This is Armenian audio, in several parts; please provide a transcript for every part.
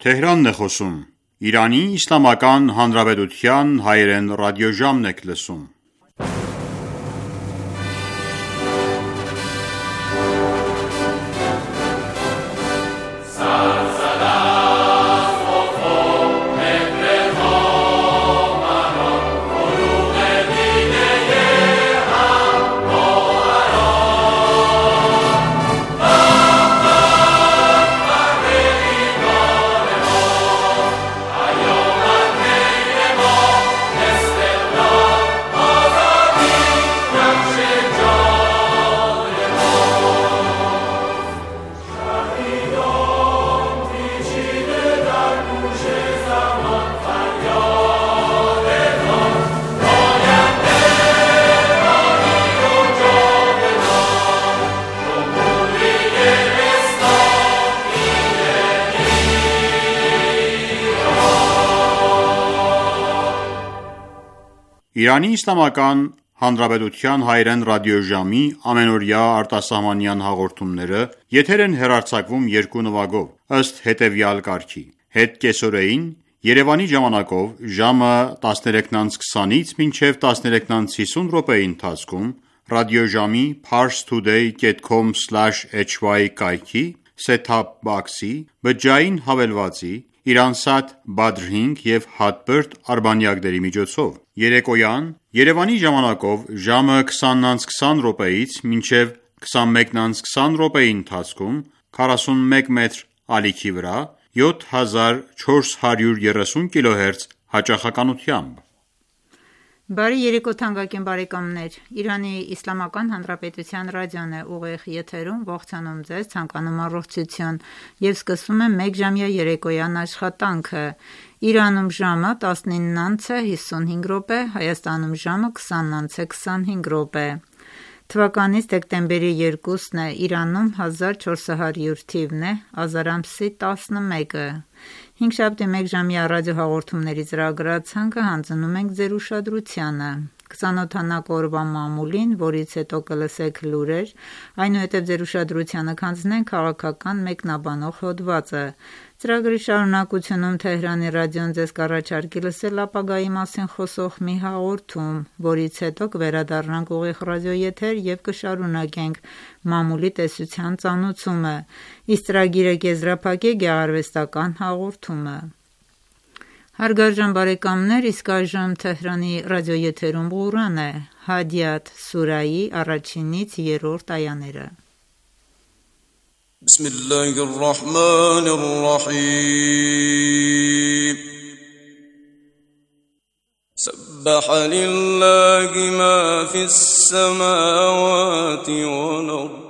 Թեհրանն է խոսում։ Իրանի Իսլամական Հանրապետության հայերեն ռադիոժամն եք լսում։ Իրանի Իսլամական Հանրապետության հայերեն ռադիոժամի ամենօրյա արտասահմանյան հաղորդումները եթեր են հեռարձակվում երկու նվագով, ըստ հետևյալ կարգի. Հետկեսօրեին Երևանի ժամանակով ժամը 13:20-ից մինչև 13:50 րոպեի ընթացքում ռադիոժամի parstoday.com/hy կայքի set-top box-ի բջջային հավելվածի Իրանսատ Badr 5 և Hotbird արբանյակների միջոցով։ Երեկոյան Երևանի ժամանակով ժամը 20:20 րոպեից մինչև 21:20 րոպեի ընթացքում 41 մետր ալիքի վրա 7430 kHz հաճախականությամբ։ Բարի երեկո թանկագին բարեկամներ, Իրանի Իսլամական Հանրապետության ռադիոն է ուղիղ եթերում, ողջանում ձեզ, ցանկանում առողջություն և սկսում եմ մեկ ժամյա երեկոյան աշխատանքը։ Իրանում ժամը 19:55 րոպե, Հայաստանում ժամը 20:25 րոպե։ Թվականից դեկտեմբերի 2-ն է, Իրանում 1400 թիվն է, ազար ամսի 11-ը։ Հինգշաբթի մեկ ժամյա ռադիոհաղորդումների ծրագրացանկը հանձնում ենք ձեր ուշադրությանը։ Կծանոթանանք օրվա մամուլին, որից հետո կլսեք լուրեր, այնուհետև ձեր ուշադրությանը կհանձնենք քաղաքական մեկնաբանող հոդվածը։ Ծրագրի շարունակությունում Թեհրանի ռադիոն ձեզ կառաջարկի լսել ապագայի մասին խոսող մի հաղորդում, որից հետո կվերադառնանք ուղիղ ռադիոեթեր և կշարունակենք մամուլի տեսության ծանոթությունը, իսկ ծրագիրը կեզրափակի գեղարվեստական հաղորդումը։ Հարգարժան բարեկամներ, իսկ այժմ Թեհրանի ռադիոեթերում Ղուրան է, Հադիաթ սուրայի 1-ից 3-րդ այաները։ بسم الله الرحمن الرحيم سبح لله ما في السماوات والأرض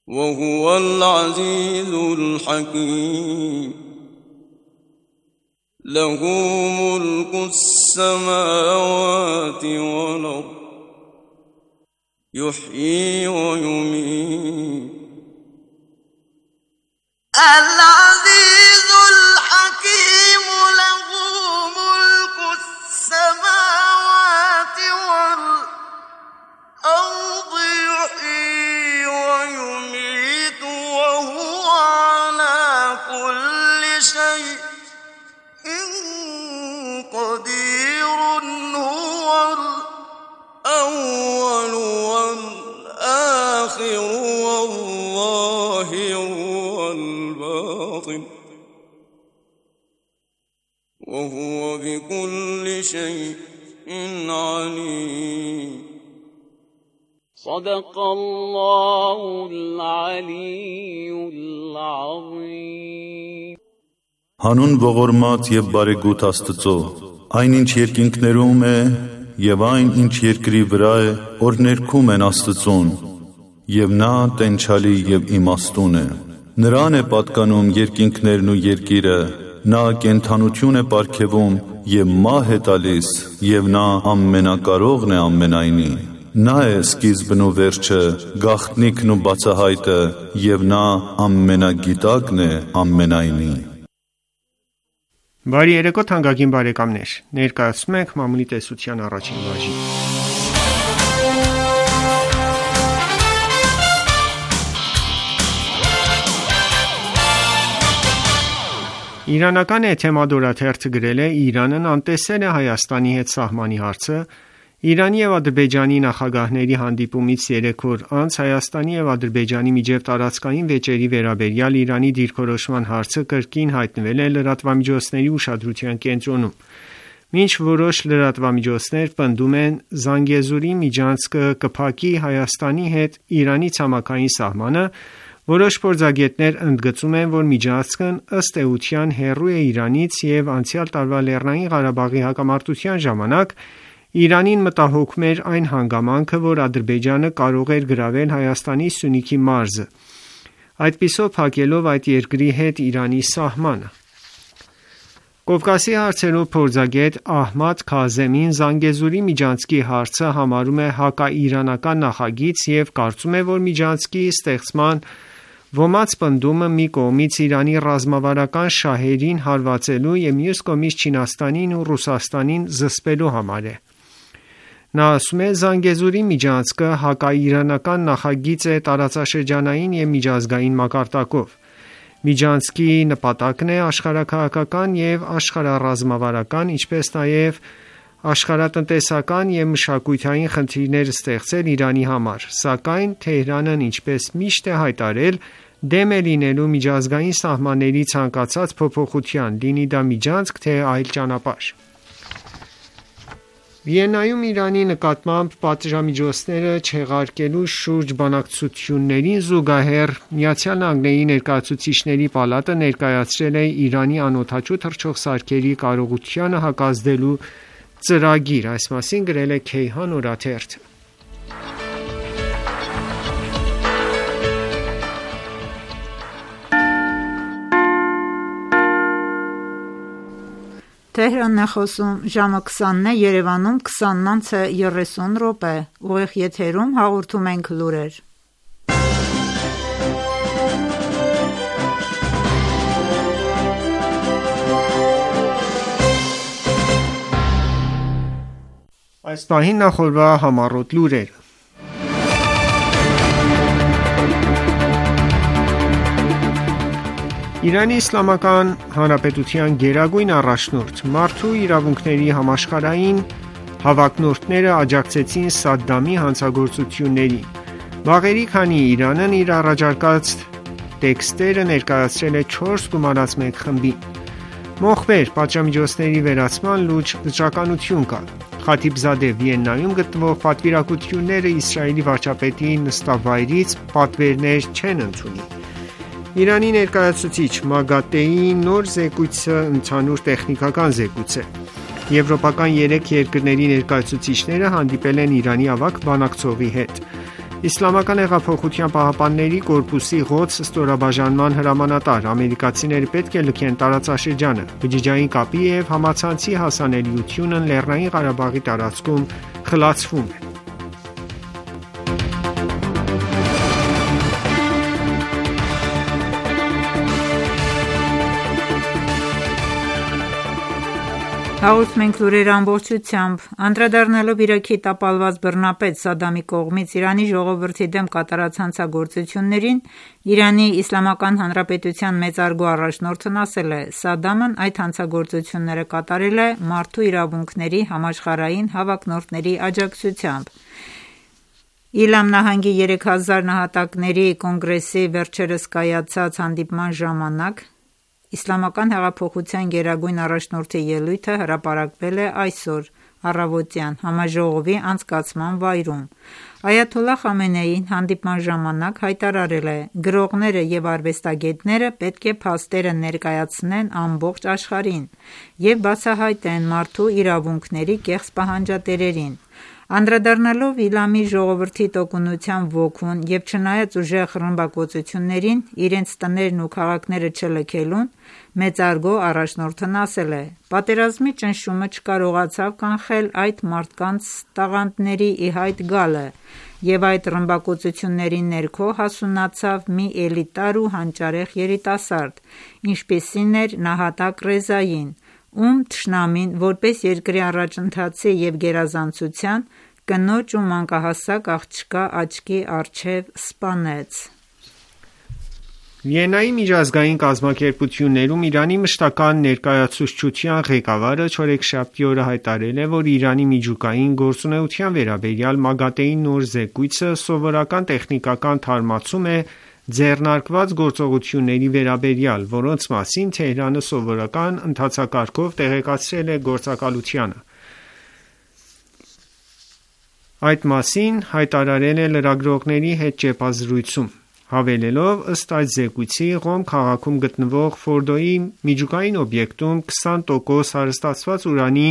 وهو العزيز الحكيم له ملك السماوات والأرض يحيي ويميت العزيز الحكيم له ملك السماوات والأرض يحيي ويميت وهو على كل شيء قدير هو الأول والآخر والظاهر وهو بكل شيء عليم صدق الله العلي العظيم Հանուն ողորմած և բարեգութ Աստծո, այնինչ երկինքներում է և այն ինչ երկրի վրա է, որ ներքում են Աստծուն, և նա տենչալի և իմաստուն է։ Նրան է պատկանում երկինքներն ու երկիրը, նա կենդանություն է պարգևում և մահ է տալիս, և նա ամենակարողն է ամենայնի։ Նա է սկիզբն ու վերջը, գաղտնիքն ու բացահայտը, և նա ամենագիտակն է ամենայնի։ Բարի երեկո թանկագին բարեկամներ, ներկայացնում ենք մամուլի տեսության առաջին բաժին։ Իրանական Էթեմադ օրաթերթը գրել է. Իրանն անտեսել է Հայաստանի հետ սահմանի հարցը։ Իրանի և Ադրբեջանի նախագահների հանդիպումից 3 օր անց Հայաստանի և Ադրբեջանի միջև տարածքային վեճերի վերաբերյալ Իրանի դիրքորոշման հարցը կրկին հայտնվել է լրատվամիջոցների ուշադրության կենտրոնում։ Մինչ որոշ լրատվամիջոցներ պնդում են Զանգեզուրի միջանցքը կփակի Հայաստանի հետ Իրանի ցամաքային սահմանը, որոշ փորձագետներ ընդգծում են, որ միջանցքն ըստ էության հեռու է Իրանից և անցյալ տարվա Լեռնային Ղարաբաղի հակամարտության ժամանակ Իրանին մտահոգում էր այն հանգամանքը, որ Ադրբեջանը կարող էր գրավել Հայաստանի Սյունիքի մարզը, այդպիսով փակելով այդ երկրի հետ Իրանի սահմանը։ Կովկասի հարցերով փորձագետ Ահմադ Քազեմին Զանգեզուրի միջանցքի հարցը համարում է հակաիրանական նախագիծ և կարծում է, որ միջանցքի ստեղծման ոմած պնդումը մի կողմից Իրանի ռազմավարական շահերին հարվածելու և մյուս կողմից Չինաստանին ու Ռուսաստանին զսպելու համար է։ Նա ասում է. Զանգեզուրի միջանցքը հակաիրանական նախագիծ է տարածաշրջանային և միջազգային մակարդակով։ Միջանցքի նպատակն է աշխարհաքաղաքական և աշխարհառազմավարական, ինչպես նաև աշխարհատնտեսական և մշակութային խնդիրներ ստեղծել Իրանի համար, սակայն Թեհրանն ինչպես միշտ է հայտարարել, դեմ է լինելու միջազգային սահմանների ցանկացած փոփոխության, լինի դա միջանցք, թե այլ ճանապարհ։ Վիեննայում Իրանի նկատմամբ պատժամիջոցները չեղարկելու շուրջ բանակցություններին զուգահեռ ԱՄՆ Ներկայացուցիչների պալատը ներկայացրել է Իրանի անօդաչու թռչող սարքերի կարողությանը հակազդելու ծրագիր, այս մասին գրել է Քեյհան օրաթերթը։ Թեհրանն է խոսում, ժամը 20-ն է, Երևանում 20:30 ուղիղ եթերում հաղորդում ենք լուրեր։ Այս պահին նախորդ համառոտ լուրերը։ Իրանի Իսլամական Հանրապետության գերագույն առաջնորդ Մարդու իրավունքների համաշխարհային հավակնորդները աջակցեցին Սադդամի հանցագործություններին։ Վաղերի քանի Իրանն իր առաջարկած տեքստերը ներկայացրել է 4 գումարած 1 խմբին։ Մոխվեր պատժամիջոցների վերացման լուրջ վճռականություն կա։ Խաթիբզադե Վիեննայում գտնվող պատվիրակությունները Իսրայելի վարչապետի նստավայրից պատվերներ չեն ընդունի։ Իրանի ներկայացուցիչ ՄԱԳԱՏԵ-ի նոր զեկույցը ընդհանուր տեխնիկական զեկույց է։ Եվրոպական 3 երկրների ներկայացուցիչները հանդիպել են Իրանի ավագ բանակցողի հետ։ Իսլամական հեղափոխության պահապանների կորպուսի ղոդս ստորաբաժանման հրամանատար ամերիկացիները պետք է լքեն տարածաշրջանը։ Բջջային կապի և համացանցի հասանելիությունն Լեռնային Ղարաբաղի տարածքում խլացվում է։ Հաղորդում ենք լուրերը ամբողջությամբ։ Անդրադառնալով Իրաքի տապալված բռնապետ Սադամի կողմից Իրանի ժողովրդի դեմ կատարած հանցագործություններին, Իրանի Իսլամական Հանրապետության մեծարգո առաջնորդն ասել է. Սադամն այդ հանցագործությունները կատարել է մարդու իրավունքների համաշխարհային հավակնորդների աջակցությամբ։ Իլամ նահանգի 3000 նահատակների կոնգրեսի վերջերս կայացած հանդիպման ժամանակ Իսլամական հեղափոխության գերագույն առաջնորդի ելույթը հրապարակվել է այսօր առավոտյան համաժողովի անցկացման վայրում։ Այաթոլլահ Խամենեին հանդիպման ժամանակ հայտարարել է. գրողները և արվեստագետները պետք է փաստերը ներկայացնեն ամբողջ աշխարհին և բացահայտեն մարդու իրավունքների կեղծ պահանջատերերին։ Անդրադառնալով Իլամի ժողովրդի տոկունության ոգուն և չնայած ուժեղ ռմբակոծություններին իրենց տներն ու քաղաքները չլքելուն, մեծարգո առաջնորդն ասել է. պատերազմի ճնշումը չկարողացավ կանխել այդ մարդկանց տաղանդների ի հայտ գալը և այդ ռմբակոծությունների ներքո հասունացավ մի էլիտար ու հանճարեղ երիտասարդ, ինչպիսին էր նահատակ Ռեզային, ում թշնամին որպես երկրի առաջընթացի և գերազանցության, կնոջ ու մանկահասակ աղջկա աչքի առջև սպանեց։ Վիեննայի միջազգային կազմակերպություններում Իրանի մշտական ներկայացուցչության ղեկավարը չորեքշաբթի օրը հայտարարել է, որ Իրանի միջուկային գործունեության վերաբերյալ ՄԱԳԱՏԷ-ի նոր զեկույցը սովորական տեխնիկական թարմացում է ձեռնարկված գործողությունների վերաբերյալ, որոնց մասին Թեհրանը սովորական ընթացակարգով տեղեկացրել է գործակալությանը։ Այդ մասին հայտարարել է լրագրողների հետ ճեպազրույցում, հավելելով, ըստ այդ զեկույցի, Ղոմ քաղաքում գտնվող Ֆորդոյի միջուկային օբյեկտում 20% հարստացված ուրանի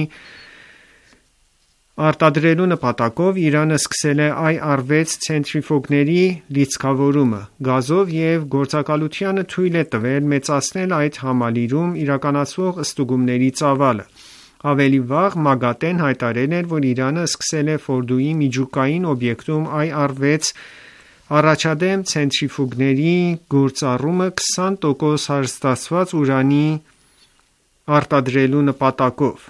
արտադրելու նպատակով Իրանը սկսել է IR-6 ցենտրիֆուգների լիցքավորումը գազով և գործակալությանը թույլ է տվել մեծացնել այդ համալիրում իրականացվող ստուգումների ծավալը։ Ավելի վաղ ՄԱԳԱՏԷ-ն հայտարարել էր, որ Իրանը սկսել է Ֆորդոյի միջուկային օբյեկտում IR-6 առաջադեմ ցենտրիֆուգների գործառումը 20% հարստացված ուրանի արտադրելու նպատակով։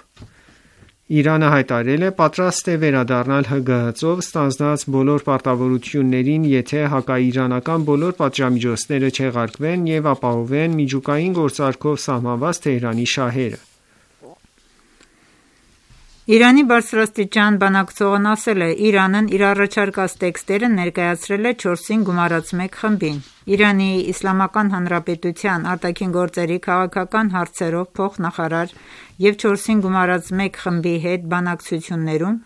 Իրանը հայտարարել է պատրաստ է վերադառնալ ՀԳՀԾ-ով ստանձնած բոլոր պարտավորություններին, եթե հակաիրանական բոլոր պատժամիջոցները չեղարկվեն և ապահովեն միջուկային գործարքով սահմանված Թեհրանի շահերը։ Իրանի բարձրաստիճան բանակցողն ասել է. Իրանն իր առաջարկած տեքստերը ներկայացրել է 4-ին գումարած 1 խմբին։ Իրանի Իսլամական Հանրապետության արտաքին գործերի քաղաքական հարցերով փոխնախարար և 4-ին գումարած 1 խմբի հետ բանակցություններում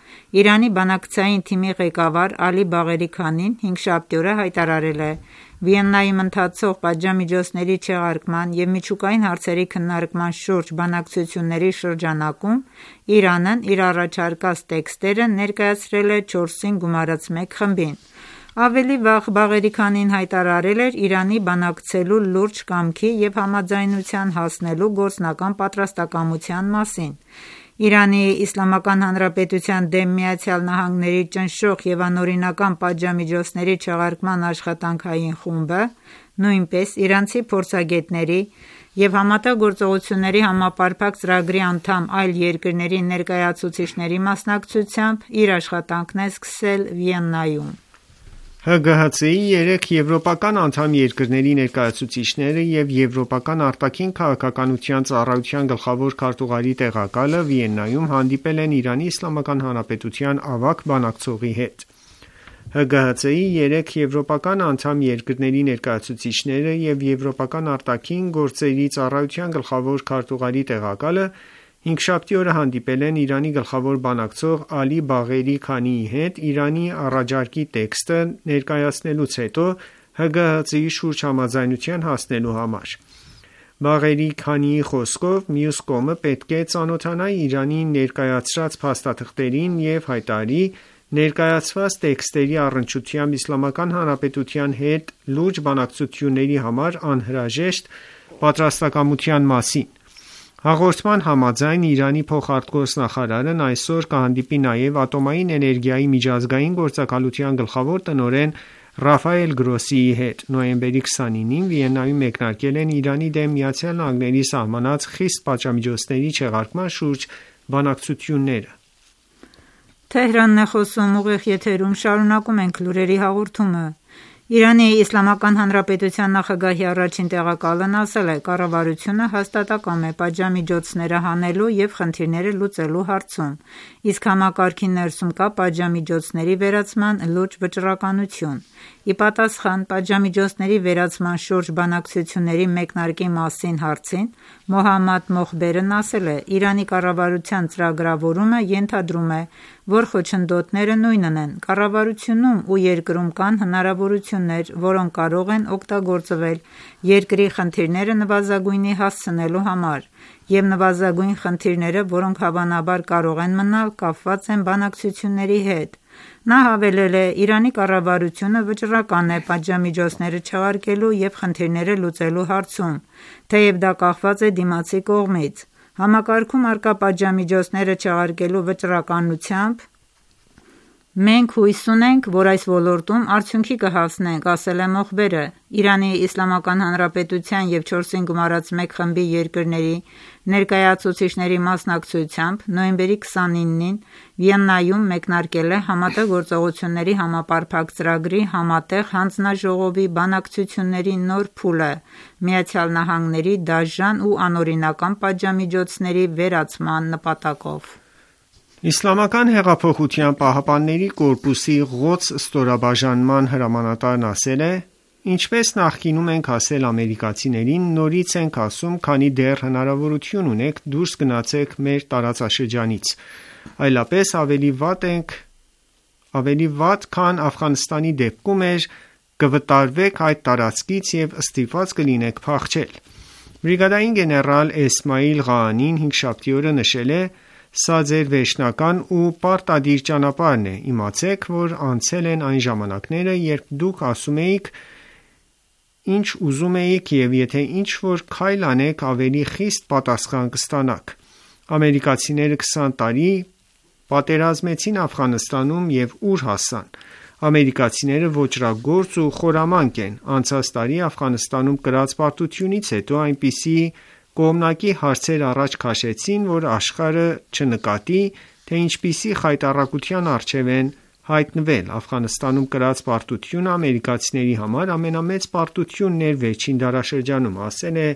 Իրանի բանակցային թիմի ղեկավար Ալի Բաղերի Քանին հինգշաբթի օրը հայտարարել է. Վիեննայում ընթացող պատժամիջոցների չեղարկման և միջուկային հարցերի քննարկման շուրջ բանակցությունների շրջանակում Իրանն իր առաջարկած տեքստերը ներկայացրել է 4-ին գումարած 1 խմբին։ Ավելի վաղ Բաղերի Քանին հայտարարել էր Իրանի բանակցելու լուրջ կամքի և համաձայնության հասնելու գործնական պատրաստակամության մասին։ Իրանի Իսլամական Հանրապետության դեմ ԱՄՆ-ի ճնշող և անօրինական պատժամիջոցների չեղարկման աշխատանքային խումբը, նույնպես իրանցի փորձագետների և ՀԳՀԾ-ի համապարփակ ծրագրի անդամ այլ երկրների ներկայացուցիչների մասնակցությամբ իր աշխատանքն է սկսել Վիեննայում։ ՀԳՀԾ-ի 3 եվրոպական անդամ երկրների ներկայացուցիչները և Եվրոպական արտաքին քաղաքականության ծառայության գլխավոր քարտուղարի տեղակալը Վիեննայում հանդիպել են Իրանի Իսլամական Հանրապետության ավագ բանակցողի հետ։ ՀԳՀԾ-ի 3 եվրոպական անդամ երկրների ներկայացուցիչները և Եվրոպական արտաքին գործերի ծառայության գլխավոր քարտուղարի տեղակալը հինգշաբթի օրը հանդիպել են Իրանի գլխավոր բանակցող Ալի Բաղերի Քանիի հետ Իրանի առաջարկի տեքստը ներկայացնելուց հետո ՀԳՀԾ-ի շուրջ համաձայնության հասնելու համար։ Բաղերի Քանիի խոսքով մյուս կողմը պետք է ծանոթանա Իրանի ներկայացրած փաստաթղթերին և հայտարարի ներկայացված տեքստերի առնչությամբ Իսլամական Հանրապետության հետ լուրջ բանակցությունների համար անհրաժեշտ պատրաստակամության մասին։ Հաղորդման համաձայն Իրանի փոխարտգործնախարարն այսօր կհանդիպի նաև Ատոմային էներգիայի միջազգային գործակալության գլխավոր տնօրեն Ռաֆայել Գրոսիի հետ։ Նոյեմբերի 29-ին Վիեննայում մեկնարկել են Իրանի դեմ ԱՄՆ-ի սահմանած խիստ պատժամիջոցների չեղարկման շուրջ բանակցությունները։ Թեհրանն է խոսում, ուղիղ եթերում շարունակում ենք լուրերի հաղորդումը։ Իրանի Իսլամական Հանրապետության նախագահի առաջին տեղակալն ասել է. կառավարությունը հաստատակամ է պատժամիջոցները հանելու և խնդիրները լուծելու հարցում, իսկ համակարգի ներսում կա պատժամիջոցների վերացման լուրջ վճռականություն։ Ի պատասխան պատժամիջոցների վերացման շուրջ բանակցությունների մեկնարկի մասին հարցին Մոհամմադ Մոխբերն ասել է. Իրանի կառավարության ծրագրավորումը ենթադրում է, որ խոչընդոտները նույնն են։ Կառավարությունում ու երկրում կան հնարավորություններ, որոնք կարող են օգտագործվել երկրի խնդիրները նվազագույնի հասցնելու համար, և նվազագույն խնդիրները, որոնք հավանաբար կարող են մնալ, կապված են բանակցությունների հետ։ Նա հավելել է. Իրանի կառավարությունը վճռական է պատժամիջոցները չեղարկելու և խնդիրները լուծելու հարցում, թեև դա կախված է դիմացի կողմից։ Համակարգում առկա պատժամիջոցները չեղարկելու վճռականությամբ Մենք հույս ունենք, որ այս ոլորտում արդյունքի կհասնենք, ասել է Մոխբերը։ Իրանի Իսլամական Հանրապետության և 4+1 խմբի երկրների ներկայացուցիչների մասնակցությամբ նոյեմբերի 29-ին Վիեննայում մեկնարկել է ՀԳՀԾ-ների համապարփակ ծրագրի համատեղ հանձնաժողովի բանակցությունների նոր փուլը ԱՄՆ-ի դաժան ու անօրինական պատժամիջոցների վերացման նպատակով։ Իսլամական հեղափոխության պահապանների կորպուսի Ղոդս ստորաբաժանման հրամանատարն ասել է. «Ինչպես նախկինում ենք ասել ամերիկացիներին, նորից ենք ասում, քանի դեռ հնարավորություն ունեք դուրս գնացեք մեր տարածաշրջանից, այլապես ավելի վատ, քան Աֆղանստանի դեպքում էր, կվտարվեք այդ տարածքից և ստիպված կլինեք փախչել»։ Բրիգադային գեներալ Էսմայիլ Ղաանին հինգշաբթի օրը նշել է. «Սա ձեր վերջնական ու պարտադիր ճանապարհն է, իմացեք, որ անցել են այն ժամանակները, երբ դուք ասում էիք, ինչ ուզում էիք և եթե ինչ-որ քայլ անեք, ավելի խիստ պատասխան կստանաք։ Ամերիկացիները 20 տարի պատերազմեցին Աֆղանստանում և ուր հասան։ Ամերիկացիները ոճրագործ ու խորամանկ են։ Անցած տարի Աֆղանստանում կրած պարտությունից հետո այնպիսի կողմնակի հարցեր առաջ քաշեցին, որ աշխարհը չնկատի, թե ինչպիսի խայտառակության առջև են հայտնվել։ Աֆղանստանում կրած պարտությունը ամերիկացիների համար ամենամեծ պարտությունն էր վերջին դարաշրջանում», ասել է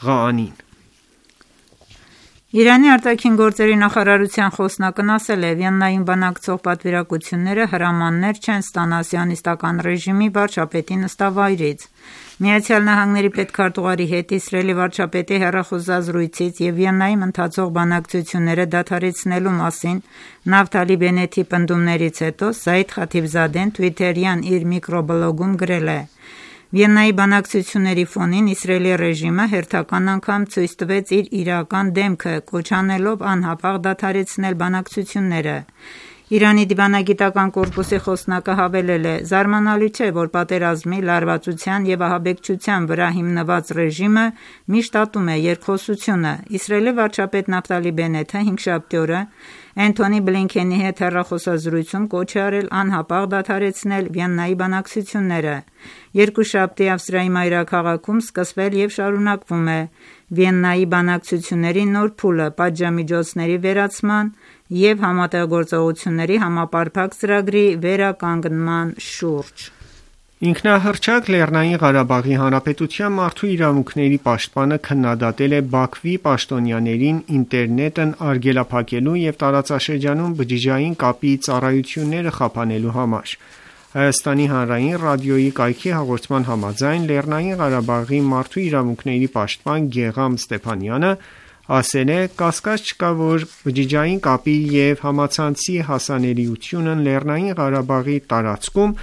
Ղաանին։ Իրանի արտաքին գործերի նախարարության խոսնակն ասել է. «Վիեննայում բանակցող պատվիրակությունները հրամաններ չեն ստանա Սիոնիստական ռեժիմի վարչապետի նստավայրից»։ ԱՄՆ պետքարտուղարի հետ Իսրայելի վարչապետի հեռախոսազրույցից և Վիեննայում ընթացող բանակցությունները դադարեցնելու մասին Նավթալի Բենեթի պնդումներից հետո Սաիդ Խաթիբզադեն թվիթերյան իր միկրոբլոգում գրել է. «Վիեննայի բանակցությունների ֆոնին Իսրայելի ռեժիմը հերթական անգամ ցույց տվեց իր իրական դեմքը, կոչ անելով անհապաղ դադարեցնել բանակցությունները»։ Իրանի դիվանագիտական կորպուսի խոսնակը հավելել է. «Զարմանալի չէ, որ պատերազմի, լարվածության և ահաբեկչության վրա հիմնված ռեժիմը միշտ ատում է երկխոսությունը»։ Իսրայելի վարչապետ Նավթալի Բենեթը հինգշաբթի օրը Էնթոնի Բլինքենի հետ հեռախոսազրույցում կոչ է արել անհապաղ դադարեցնել Վիեննայի բանակցությունները։ Երկուշաբթի Ավստրիայի մայրաքաղաքում սկսվել և շարունակվում է Վիեննայի բանակցությունների նոր փուլը պատժամիջոցների վերացման և ՀԳՀԾ-ների համապարփակ ծրագրի վերականգնման շուրջ։ Ինքնահռչակ Լեռնային Ղարաբաղի Հանրապետության մարդու իրավունքների պաշտպանը քննադատել է Բաքվի պաշտոնյաներին ինտերնետն արգելափակելու և տարածաշրջանում բջջային կապի ծառայությունները խափանելու համար։ Հայաստանի Հանրային ռադիոյի կայքի հաղորդման համաձայն Լեռնային Ղարաբաղի մարդու իրավունքների պաշտպան Գեղամ Ստեփանյանը ասել է. «Կասկած չկա, որ բջջային կապի և համացանցի հասանելիությունն Լեռնային Ղարաբաղի տարածքում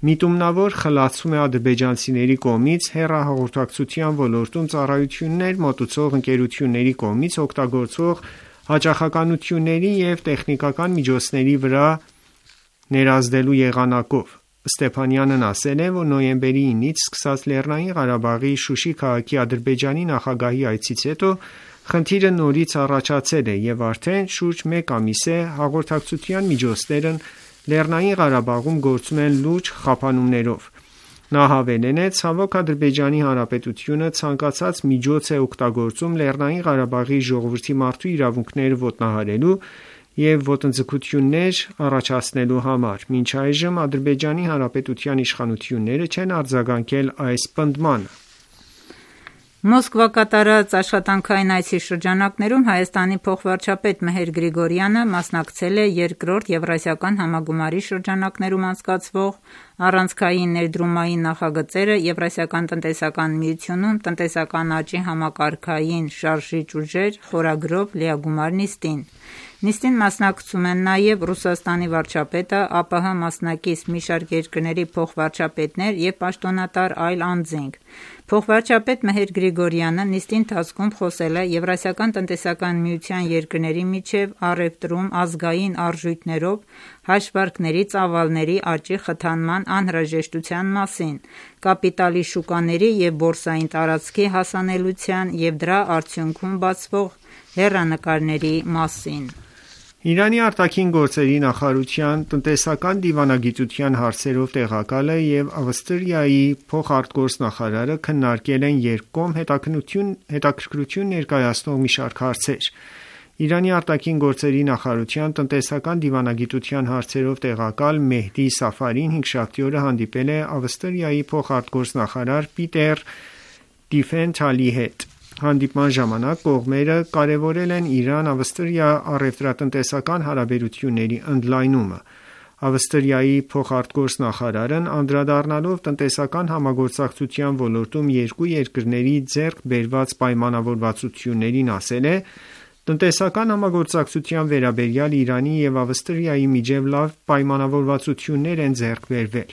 միտումնավոր խլացվում է ադրբեջանցիների կողմից հեռահաղորդակցության ոլորտում ծառայություններ մատուցող ընկերությունների կողմից օգտագործվող հաճախականությունների և տեխնիկական միջոցների վրա ներազդելու եղանակով»։ Ստեփանյանն ասել է, որ նոյեմբերի 9-ից սկսած Լեռնային Ղարաբաղի Շուշի քաղաքի Ադրբեջանի նախագահի այցից հետո խնդիրը նորից առաջացել է և արդեն շուրջ մեկ ամիս է հաղորդակցության միջոցներն Լեռնային Ղարաբաղում գործում են լուրջ խափանումներով։ Նա հավելել է. «Ցավոք, Ադրբեջանի Հանրապետությունը ցանկացած միջոց է օգտագործում Լեռնային Ղարաբաղի ժողովրդի մարդու իրավունքները ոտնահարելու և ոտնձգություններ առաջացնելու համար։ Մինչ այժմ Ադրբեջանի Հանրապետության իշխանությունները չեն արձագանքել այս պնդմանը»։ Մոսկվա կատարած աշխատանքային այցի շրջանակներում Հայաստանի փոխվարչապետ Մհեր Գրիգորյանը մասնակցել է երկրորդ Եվրասիական համագումարի շրջանակներում անցկացվող առանցքային ներդրումային նախագծերը Եվրասիական տնտեսական միությունում տնտեսական աճի համակարգային շարժիչ ուժեր խորագրով լիագումար նիստին։ Նիստին մասնակցում են նաև Ռուսաստանի վարչապետը, ԱՊՀ մասնակից մի շարք երկրների փոխվարչապետներ և պաշտոնատար այլ անձինք։ Փոխվարչապետ Մհեր Գրիգորյանը նիստի ընթացքում խոսել է Եվրասիական տնտեսական միության երկրների միջև առևտրում ազգային արժույթներով հաշվարկների ծավալների աճի խթանման անհրաժեշտության մասին, կապիտալի շուկաների և բորսային տարածքի հասանելիության և դրա արդյունքում բացվող հեռանկարների մասին։ Իրանի արտաքին գործերի նախարարության տնտեսական դիվանագիտության հարցերով տեղակալը և Ավստրիայի փոխարտգործնախարարը քննարկել են երկկողմ հետաքրքրություն ներկայացնող մի շարք հարցեր: Իրանի արտաքին գործերի նախարարության տնտեսական դիվանագիտության հարցերով տեղակալ Մեհդի Սաֆարին հինգշաբթի օրը հանդիպել է Ավստրիայի փոխարտգործնախարար Պիտեր Տիֆենթալի հետ: Հանդիպման ժամանակ կողմերը կարևորել են Իրան-Ավստրիա առևտրատնտեսական հարաբերությունների ընդլայնումը: Ավստրիայի փոխարտգործնախարարն անդրադառնալով տնտեսական համագործակցության ոլորտում երկու երկրների ձեռք բերված պայմանավորվածություններին ասել է. «Տնտեսական համագործակցության վերաբերյալ Իրանի և Ավստրիայի միջև լավ պայմանավորվածություններ են ձեռք բերվել»: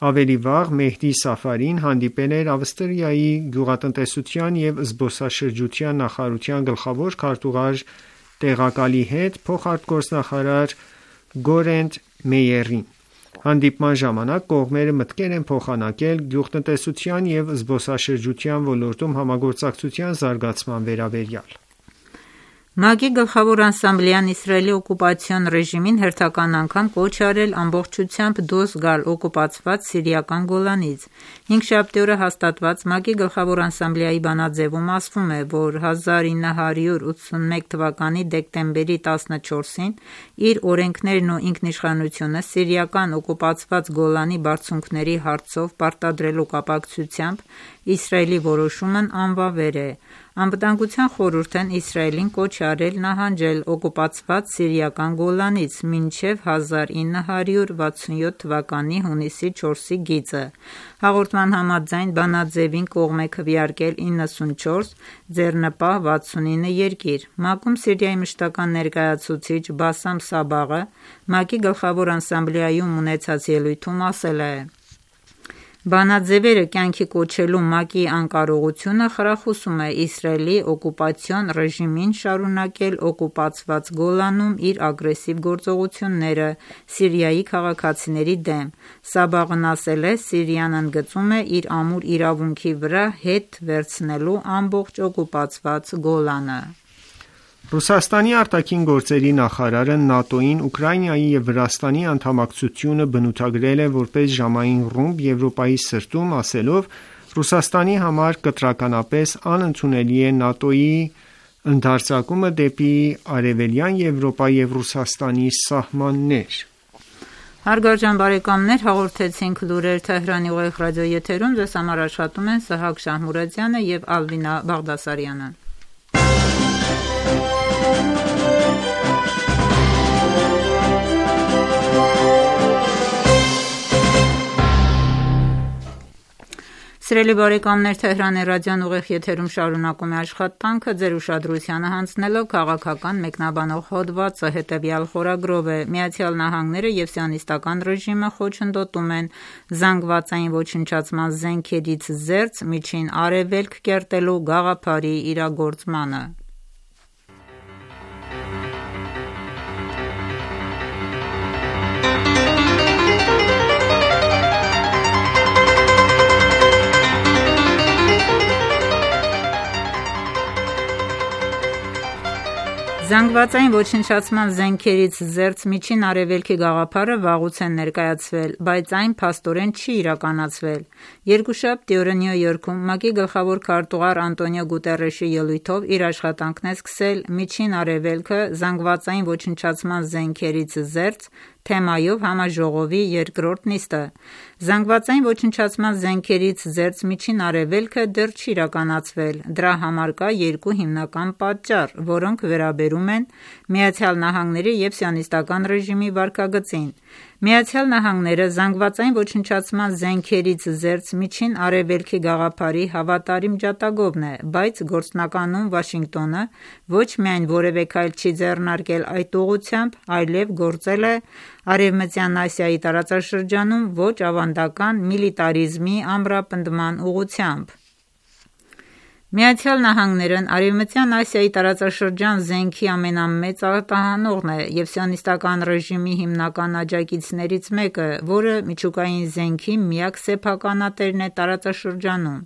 Ավելի վաղ Մեհդի Սաֆարին հանդիպել էր Ավստրիայի գյուղատնտեսության և զբոսաշրջության նախարարության գլխավոր քարտուղար տեղակալի հետ փոխարտգործնախարար Գորենտ Մեյերին: Հանդիպման ժամանակ կողմերը մտքեր են փոխանակել գյուղատնտեսության և զբոսաշրջության ոլորտում համագործակցության զարգացման վերաբերյալ: ՄԱԿ-ի Գլխավոր ասամբլեան Իսրայելի օկուպացիոն ռեժիմին հերթական անգամ կոչ է արել ամբողջությամբ դուրս գալ օկուպացված սիրիական Գոլանից: Հինգշաբթի օրը հաստատված ՄԱԿ-ի Գլխավոր ասամբլեայի բանաձևում ասվում է, որ 1981 թվականի դեկտեմբերի 14-ին իր օրենքներն ու ինքնիշխանությունը սիրիական օկուպացված Գոլանի բարձունքների հարցով պարտադրելու կապակցությամբ Իսրայելի որոշումն անվավեր է: Անվտանգության խորհուրդն Իսրայելին կոչ է արել նահանջել օկուպացված սիրիական Գոլանից մինչև 1967 թվականի հունիսի 4-ի գիծը: Հաղորդման համաձայն բանաձևին կողմ է քվեարկել 94, ձեռնպահ 69 երկիր: ՄԱԿ-ում Սիրիայի մշտական ներկայացուցիչ Բասամ Սաբաղը ՄԱԿ-ի Գլխավոր ասամբլեայում ունեցած ելույթում ասել է. «Բանաձևերը կյանքի կոչելու ՄԱԿ-ի անկարողությունը խրախուսում է Իսրայելի օկուպացիոն ռեժիմին շարունակել օկուպացված Գոլանում իր ագրեսիվ գործողությունները Սիրիայի քաղաքացիների դեմ»: Սաբաղն ասել է. «Սիրիան ընդգծում է իր ամուր իրավունքի վրա հետ վերցնելու ամբողջ օկուպացված Գոլանը»: Ռուսաստանի արտաքին գործերի նախարարը ՆԱՏՕ-ին Ուկրաինայի և Վրաստանի անդամակցությունը բնութագրել է որպես ժամային ռումբ Եվրոպայի սրտում, ասելով. «Ռուսաստանի համար կտրականապես անընդունելի է ՆԱՏՕ-ի ընդարձակումը դեպի Արևելյան Եվրոպա և Ռուսաստանի սահմաններ»: Հարգարժան բարեկամներ, հաղորդեցինք լուրեր Թեհրանի ուղիղ ռադիոեթերում: Ձեզ համար աշխատում են Սահակ Շահմուրադյանը և Ալվինա Բաղդասարյանը: Սիրելի բարեկամներ, Թեհրանի ռադիոն ուղիղ եթերում շարունակում է աշխատանքը: Ձեր ուշադրությանը հանձնելով քաղաքական մեկնաբանող հոդվածը, հետևյալ խորագրով է. «ԱՄՆ-ը և Սիոնիստական ռեժիմը խոչընդոտում են զանգվածային ոչնչացման զենքերից զերծ Միջին Արևելք կերտելու գաղափարի իրագործմանը»: Զանգվածային ոչնչացման զենքերից զերծ Միջին Արևելքի գաղափարը վաղուց է ներկայացվել, բայց այն փաստորեն չի իրականացվել: Երկուշաբթի օրը Նյու Յորքում ՄԱԿ-ի գլխավոր քարտուղար Անտոնիո Գուտերեշի ելույթով իր աշխատանքն է սկսել «Միջին Արևելքը զանգվածային ոչնչացման զենքերից զերծ» թեմայով համաժողովի երկրորդ նիստը: Զանգվածային ոչնչացման զենքերից զերծ Միջին Արևելքը դեռ չի իրականացվել: Դրա համար կա երկու հիմնական պատճառ, որոնք վերաբերում են ԱՄՆ-ի և Սիոնիստական ռեժիմի վարքագծին: ԱՄՆ-ը զանգվածային ոչնչացման զենքերից զերծ Միջին Արևելքի գաղափարի հավատարիմ ջատագովն է, բայց գործնականում Վաշինգտոնը ոչ միայն որևէ քայլ չի ձեռնարկել այդ ուղղությամբ, այլև գործել է Արևմտյան Ասիայի տարածաշրջանում ոչ ավանդական միլիտարիզմի ամրապնդման ուղղությամբ: ԱՄՆ-ն Արևմտյան Ասիայի տարածաշրջան զենքի ամենամեծ արտահանողն է և սիոնիստական ռեժիմի հիմնական աջակիցներից մեկը, որը միջուկային զենքի միակ սեփականատերն է տարածաշրջանում։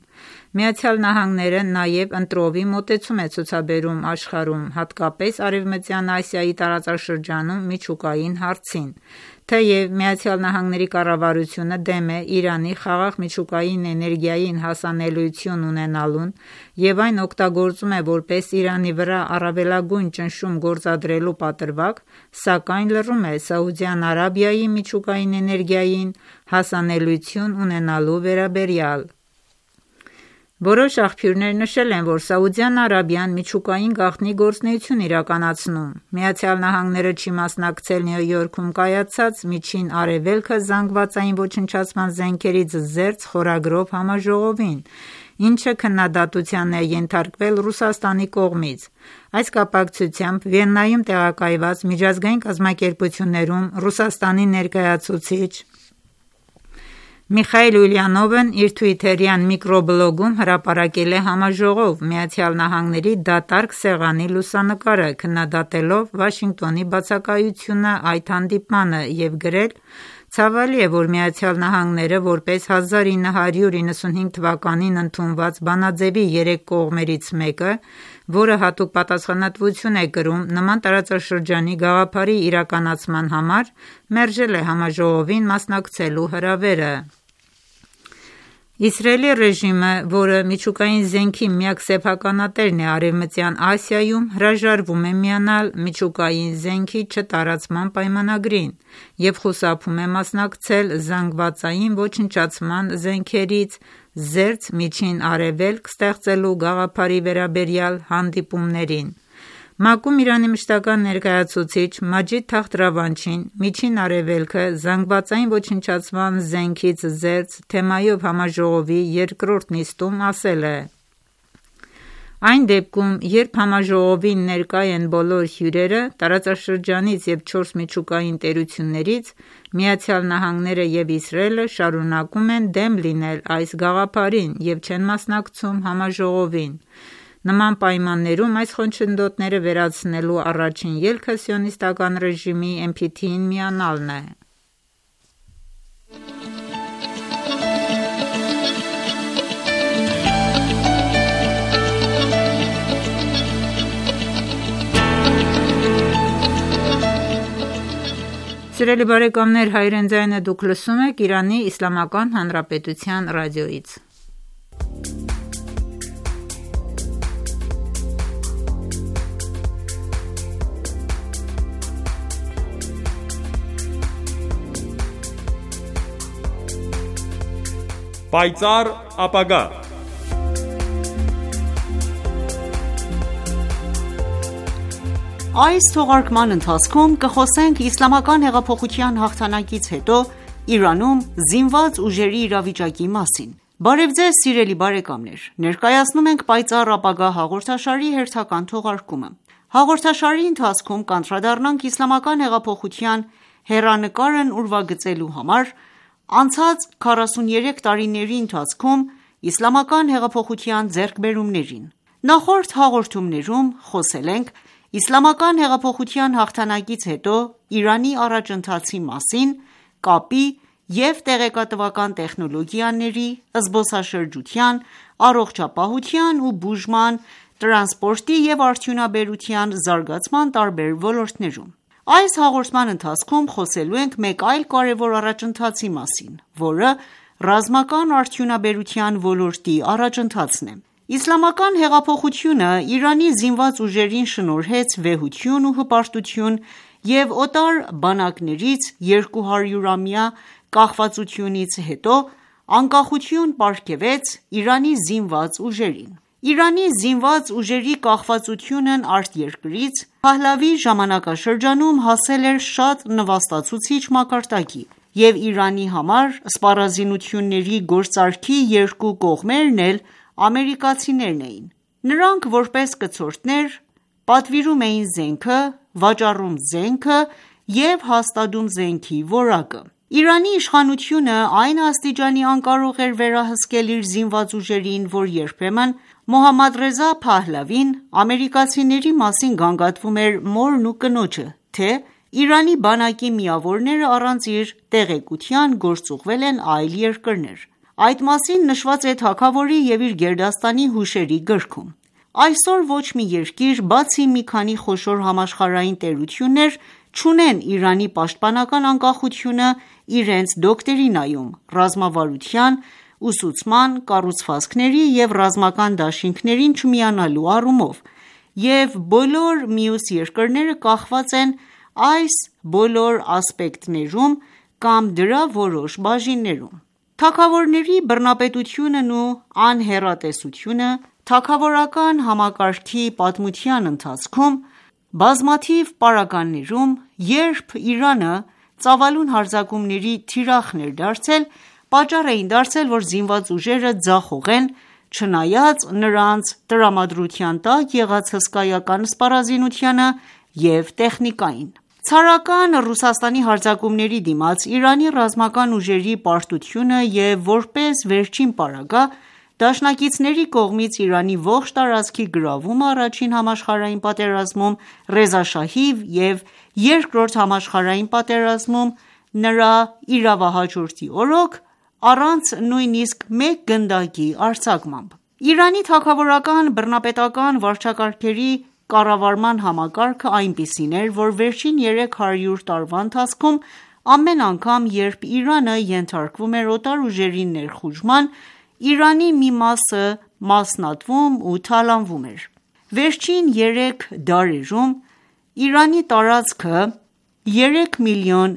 ԱՄՆ-ն նաև ընտրովի մոտեցում է ցուցաբերում աշխարհում, հատկապես Արևմտյան Ասիայի տարածաշրջանում միջուկային հարցին։ Թեև ԱՄՆ կառավարությունը դեմ է Իրանի խաղաղ միջուկային էներգիային հասանելիություն ունենալուն և այն օգտագործում է որպես Իրանի վրա առավելագույն ճնշում գործադրելու պատրվակ, սակայն լռում է Սաուդյան Արաբիայի միջուկային էներգիային հասանելիություն ունենալու վերաբերյալ։ Որոշ աղբյուրներ նշել են, որ Սաուդյան Արաբիան միջուկային գաղտնի գործունեություն իրականացնում։ ԱՄՆ-ը չի մասնակցել Նյու Յորքում կայացած «Միջին Արևելքը զանգվածային ոչնչացման զենքերից զերծ» խորագրով համաժողովին, ինչը քննադատության է ենթարկվել Ռուսաստանի կողմից։ Այս կապակցությամբ Վիեննայում տեղակայված միջազգային կազմակերպություններում Ռուսաստանի ներկայացուցիչ Միխայիլ Ուլյանովն իր թվիթերյան միկրոբլոգում հրապարակել է համաժողով ԱՄՆ դատարկ սեղանի լուսանկարը, քննադատելով Վաշինգտոնի բացակայությունը այդ հանդիպմանը և գրել. «Ցավալի է, որ ԱՄՆ-ը որպես 1995 թվականին ընդունված բանաձևի 3 կողմերից մեկը, որը հատուկ պատասխանատվություն է կրում նման տարածաշրջանի գաղափարի իրականացման համար, մերժել է համաժողովին մասնակցելու հրավերը»։ Իսրայելի ռեժիմը, որը միջուկային զենքի միակ սեփականատերն է Արևմտյան Ասիայում, հրաժարվում է միանալ միջուկային զենքի չտարածման պայմանագրին և խուսափում է մասնակցել զանգվածային ոչնչացման զենքերից զերծ Միջին Արևելք ստեղծելու գաղափարի վերաբերյալ հանդիպումներին։ ՄԱԿ-ում Իրանի մշտական ներկայացուցիչ Մաջիդ Թախտ Ռավանչին «Միջին Արևելքը զանգվածային ոչնչացման զենքից զերծ» թեմայով համաժողովի երկրորդ նիստում ասել է. «Այն դեպքում, երբ համաժողովին ներկա են բոլոր հյուրերը տարածաշրջանից և 4 միջուկային տերություններից, ԱՄՆ-ն և Իսրայելը շարունակում են դեմ լինել այս գաղափարին և չեն մասնակցում համաժողովին։ Նման պայմաններում այս խոչընդոտները վերացնելու առաջին ելքը սիոնիստական ռեժիմի NPT-ին միանալն է»։ Սիրելի բարեկամներ, հայրեն ձայնը դուք լսում եք Իրանի Իսլամական Հանրապետության ռադիոյից։ Պայծառ ապագա։ Այս թողարկման ընթացքում կխոսենք իսլամական հեղափոխության հաղթանակից հետո Իրանում զինված ուժերի իրավիճակի մասին։ Բարև ձեզ սիրելի բարեկամներ, ներկայացնում ենք «Պայծառ ապագա» հաղորդաշարի հերթական թողարկումը։ Հաղորդաշարի ընթացքում կանդրադառնանք իսլամական հեղափոխության հեռանկարն ուրվագծելու համար անցած 43 տարիների ընթացքում իսլամական հեղափոխության ձեռքբերումներին։ Նախորդ հաղորդումներում խոսել ենք իսլամական հեղափոխության հաղթանակից հետո Իրանի առաջընթացի մասին, կապի և տեղեկատվական տեխնոլոգիաների, զբոսաշրջության, առողջապահության ու բուժման, տրանսպորտի և արդյունաբերության զարգացման տարբեր ոլորտներում։ Այս հաղորդման ընթացքում խոսելու ենք մեկ այլ կարևոր առաջընթացի մասին, որը ռազմական արդյունաբերության ոլորտի առաջընթացն է։ Իսլամական հեղափոխությունը Իրանի զինված ուժերին շնորհեց վեհություն ու հպարտություն և օտար բանակներից 200-ամյա կախվածությունից հետո անկախություն պարգևեց Իրանի զինված ուժերին։ Իրանի զինված ուժերի կախվածությունն արտերկրից Փահլավի ժամանակաշրջանում հասել էր շատ նվաստացուցիչ մակարդակի, և Իրանի համար սպառազինությունների գործարքի երկու կողմերն էլ ամերիկացիներն էին։ Նրանք որպես կցորդներ պատվիրում էին զենքը, վաճառում զենքը և հաստատում զենքի որակը։ Իրանի իշխանությունը այն աստիճանի անկարող էր վերահսկել իր զինված ուժերին, որ երբեմն Մոհամմադ Ռեզա Փահլավին ամերիկացիների մասին գանգատվում էր մորն ու կնոջը, թե Իրանի բանակի միավորները առանց իր տեղեկության գործուղվել են այլ երկրներ: Այդ մասին նշված է թագավորի և իր գերդաստանի հուշերի գրքում: Այսօր ոչ մի երկիր, բացի մի քանի խոշոր համաշխարհային տերություններ, չունեն Իրանի պաշտպանական անկախությունը իրենց դոկտրինայում, ռազմավարության, ուսուցման, կառուցվածքների և ռազմական դաշինքներին չմիանալու առումով, և բոլոր մյուս երկրները կախված են այս բոլոր ասպեկտներում կամ դրա որոշ բաժիններում: Թագավորների բռնապետությունն ու անհեռատեսությունը թագավորական համակարգի պատմության ընթացքում բազմաթիվ պարագաներում, երբ Իրանը ծավալուն հարձակումների թիրախն էր դարձել, պատճառ էին դարձել, որ զինված ուժերը ձախողեն, չնայած նրանց տրամադրության տակ եղած հսկայական սպառազինությանը և տեխնիկային: Ցարական Ռուսաստանի հարձակումների դիմաց Իրանի ռազմական ուժերի պարտությունը և որպես վերջին պարագա, դաշնակիցների կողմից Իրանի ողջ տարածքի գրավումը առաջին համաշխարհային պատերազմում, Ռեզա շահի և երկրորդ համաշխարհային պատերազմում նրա իրավահաջորդի օրոք, առանց նույնիսկ մեկ գնդակի արձակմամբ: Իրանի թագավորական բռնապետական վարչակարգերի կառավարման համակարգը այնպիսին էր, որ վերջին 300 տարվա ընթացքում ամեն անգամ, երբ Իրանը ենթարկվում էր օտար ուժերի ներխուժման, Իրանի մի մասը մասնատվում ու թալանվում էր: Վերջին 3 դարերում Իրանի տարածքը 3,7 միլիոն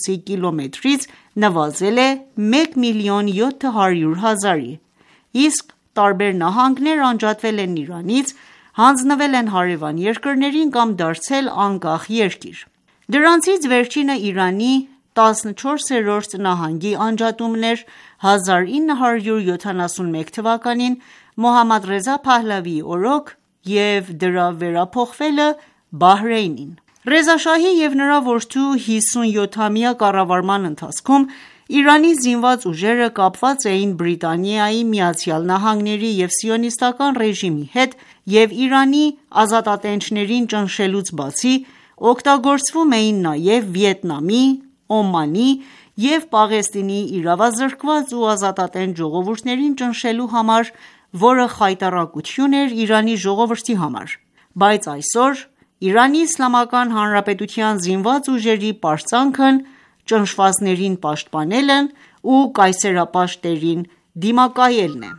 քկիլոմետրից նվազել է 1,7 միլիոն, իսկ տարբեր նահանգներ անջատվել են Իրանից, հանձնվել են հարևան երկրներին կամ դարձել անկախ երկիր: Դրանցից վերջինը Իրանի 14-րդ նահանգի անջատումն էր 1971 թվականին Մոհամմադ Ռեզա Փահլավիի օրոք և դրա վերափոխվելը Բահրեյնին: Ռեզա շահի և նրա որդու 57-ամյա կառավարման ընթացքում Իրանի զինված ուժերը կապված էին Բրիտանիայի, ԱՄՆ-ի և սիոնիստական ռեժիմի հետ և Իրանի ազատատենչներին ճնշելուց բացի, օգտագործվում էին նաև Վիետնամի, Օմանի և Պաղեստինի իրավազրկված ու ազատատենչ ժողովուրդներին ճնշելու համար, որը խայտառակություն էր Իրանի ժողովրդի համար: Բայց այսօր ԻԻՀ զինված ուժերի պարծանքն ճնշվածներին պաշտպանելն ու կայսերապաշտներին դիմակայելն է: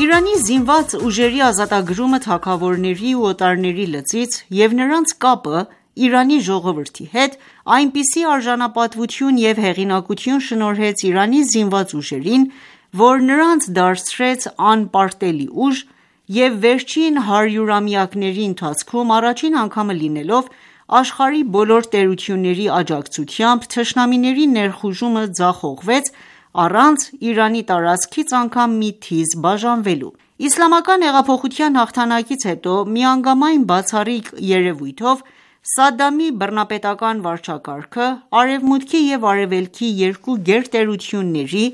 Իրանի զինված ուժերի ազատագրումը թագավորների ու օտարների լծից և նրանց կապը Իրանի ժողովրդի հետ այնպիսի արժանապատվություն և հեղինակություն շնորհեց Իրանի զինված ուժերին, որ նրանց դարձրեց անպարտելի ուժ և վերջին հարյուրամյակների ընթացքում առաջին անգամը լինելով, աշխարհի բոլոր տերությունների աջակցությամբ թշնամիների ներխուժումը ձախողվեց առանց Իրանի տարածքից անգամ մի թիզ բաժանվելու: Իսլամական հեղափոխության հաղթանակից հետո միանգամայն բացառիկ երևույթով Սադամի բռնապետական վարչակարգը Արևմուտքի և Արևելքի երկու գերտերությունների՝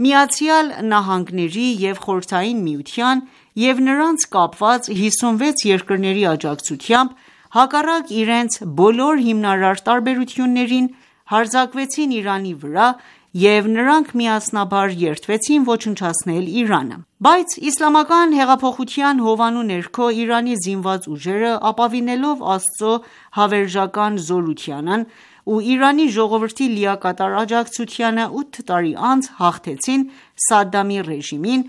ԱՄՆ-ի և Խորհրդային Միության և նրանց կապված 56 երկրների աջակցությամբ, հակառակ իրենց բոլոր հիմնարար տարբերություններին, հարձակվեցին Իրանի վրա և նրանք միասնաբար երդվեցին ոչնչացնել Իրանը: Բայց իսլամական հեղափոխության հովանու ներքո Իրանի զինված ուժերը, ապավինելով Աստծո հավերժական զորությանն ու Իրանի ժողովրդի լիակատար աջակցությանը 8 տարի անց հաղթեցին Սադամի ռեժիմին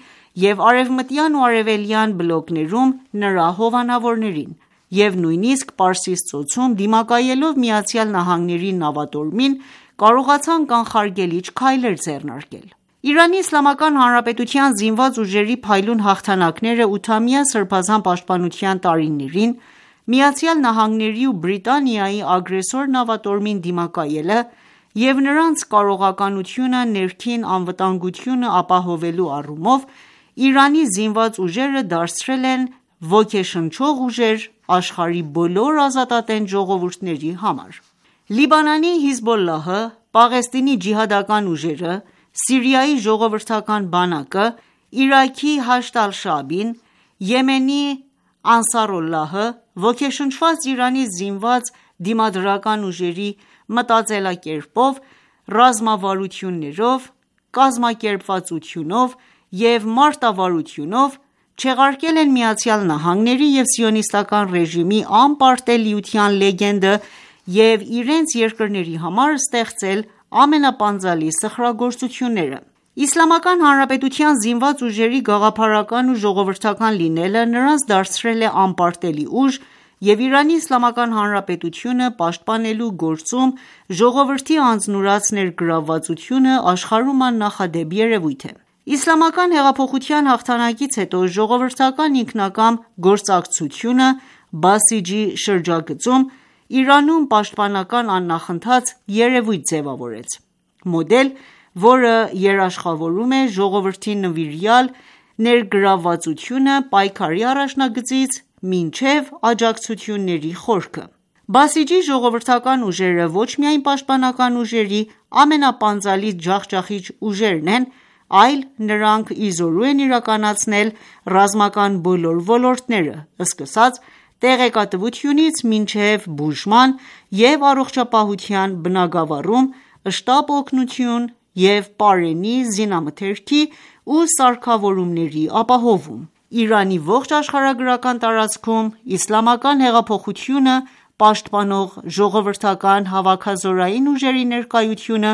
և արևմտյան ու արևելյան բլոկներում նրա հովանավորներին և նույնիսկ Պարսից ծոցում դիմակայելով ԱՄՆ-ի նավատորմին, կարողացան կանխարգելիչ քայլեր ձեռնարկել: ԻԻՀ զինված ուժերի փայլուն հաղթանակները ութամյա սրբազան պաշտպանության տարիներին ԱՄՆ-ի ու Բրիտանիայի ագրեսոր նավատորմին դիմակայելը և նրանց կարողականությունը ներքին անվտանգությունը ապահովելու առումով Իրանի զինված ուժերը դարձրել են ոգեշնչող ուժեր աշխարհի բոլոր ազատատենչ ժողովուրդների համար: Լիբանանի Հիզբոլլահը, Պաղեստինի ջիհադական ուժերը, Սիրիայի ժողովրդական բանակը, Իրաքի Հաշդ ալ-Շաաբին, Եմենի Անսարոլլահը, ոգեշնչված Իրանի զինված դիմադրական ուժերի մտածելակերպով, ռազմավարություններով, կազմակերպվածությունով և մարտավարությունով չեղարկել են ԱՄՆ-ի և սիոնիստական ռեժիմի անպարտելիության լեգենդը և իրենց երկրների համար ստեղծել ամենապանծալի սխրագործությունները: Իսլամական Հանրապետության զինված ուժերի գաղափարական ու ժողովրդական լինելը նրանց դարձրել է անպարտելի ուժ և Իրանի Իսլամական Հանրապետությունը պաշտպանելու գործում ժողովրդի անձնուրաց ներգրավվածությունը աշխարհում աննախադեպ երևույթ է: Իսլամական հեղափոխության հաղթանակից հետո ժողովրդական ինքնակամ գործակցությունը Բասիջի շրջագծում Իրանում պաշտպանական աննախընթաց երևույթ ձևավորեց: Մոդել, որը երաշխավորում է ժողովրդի նվիրյալ ներգրավվածությունը պայքարի առաջնագծից մինչև աջակցությունների խորքը: Բասիջի ժողովրդական ուժերը ոչ միայն պաշտպանական ուժերի ամենապանծալի ջախջախիչ ուժերն են, այլ նրանք ի զորու են իրականացնել ռազմական բոլոր ոլորտները, սկսած տեղեկատվությունից մինչև բուժման և առողջապահության բնագավառում, շտապ օգնություն և պարենի, զինամթերքի ու սարքավորումների ապահովում: Իրանի ողջ աշխարհագրական տարածքում իսլամական հեղափոխությունը պաշտպանող ժողովրդական հավաքազորային ուժերի ներկայությունը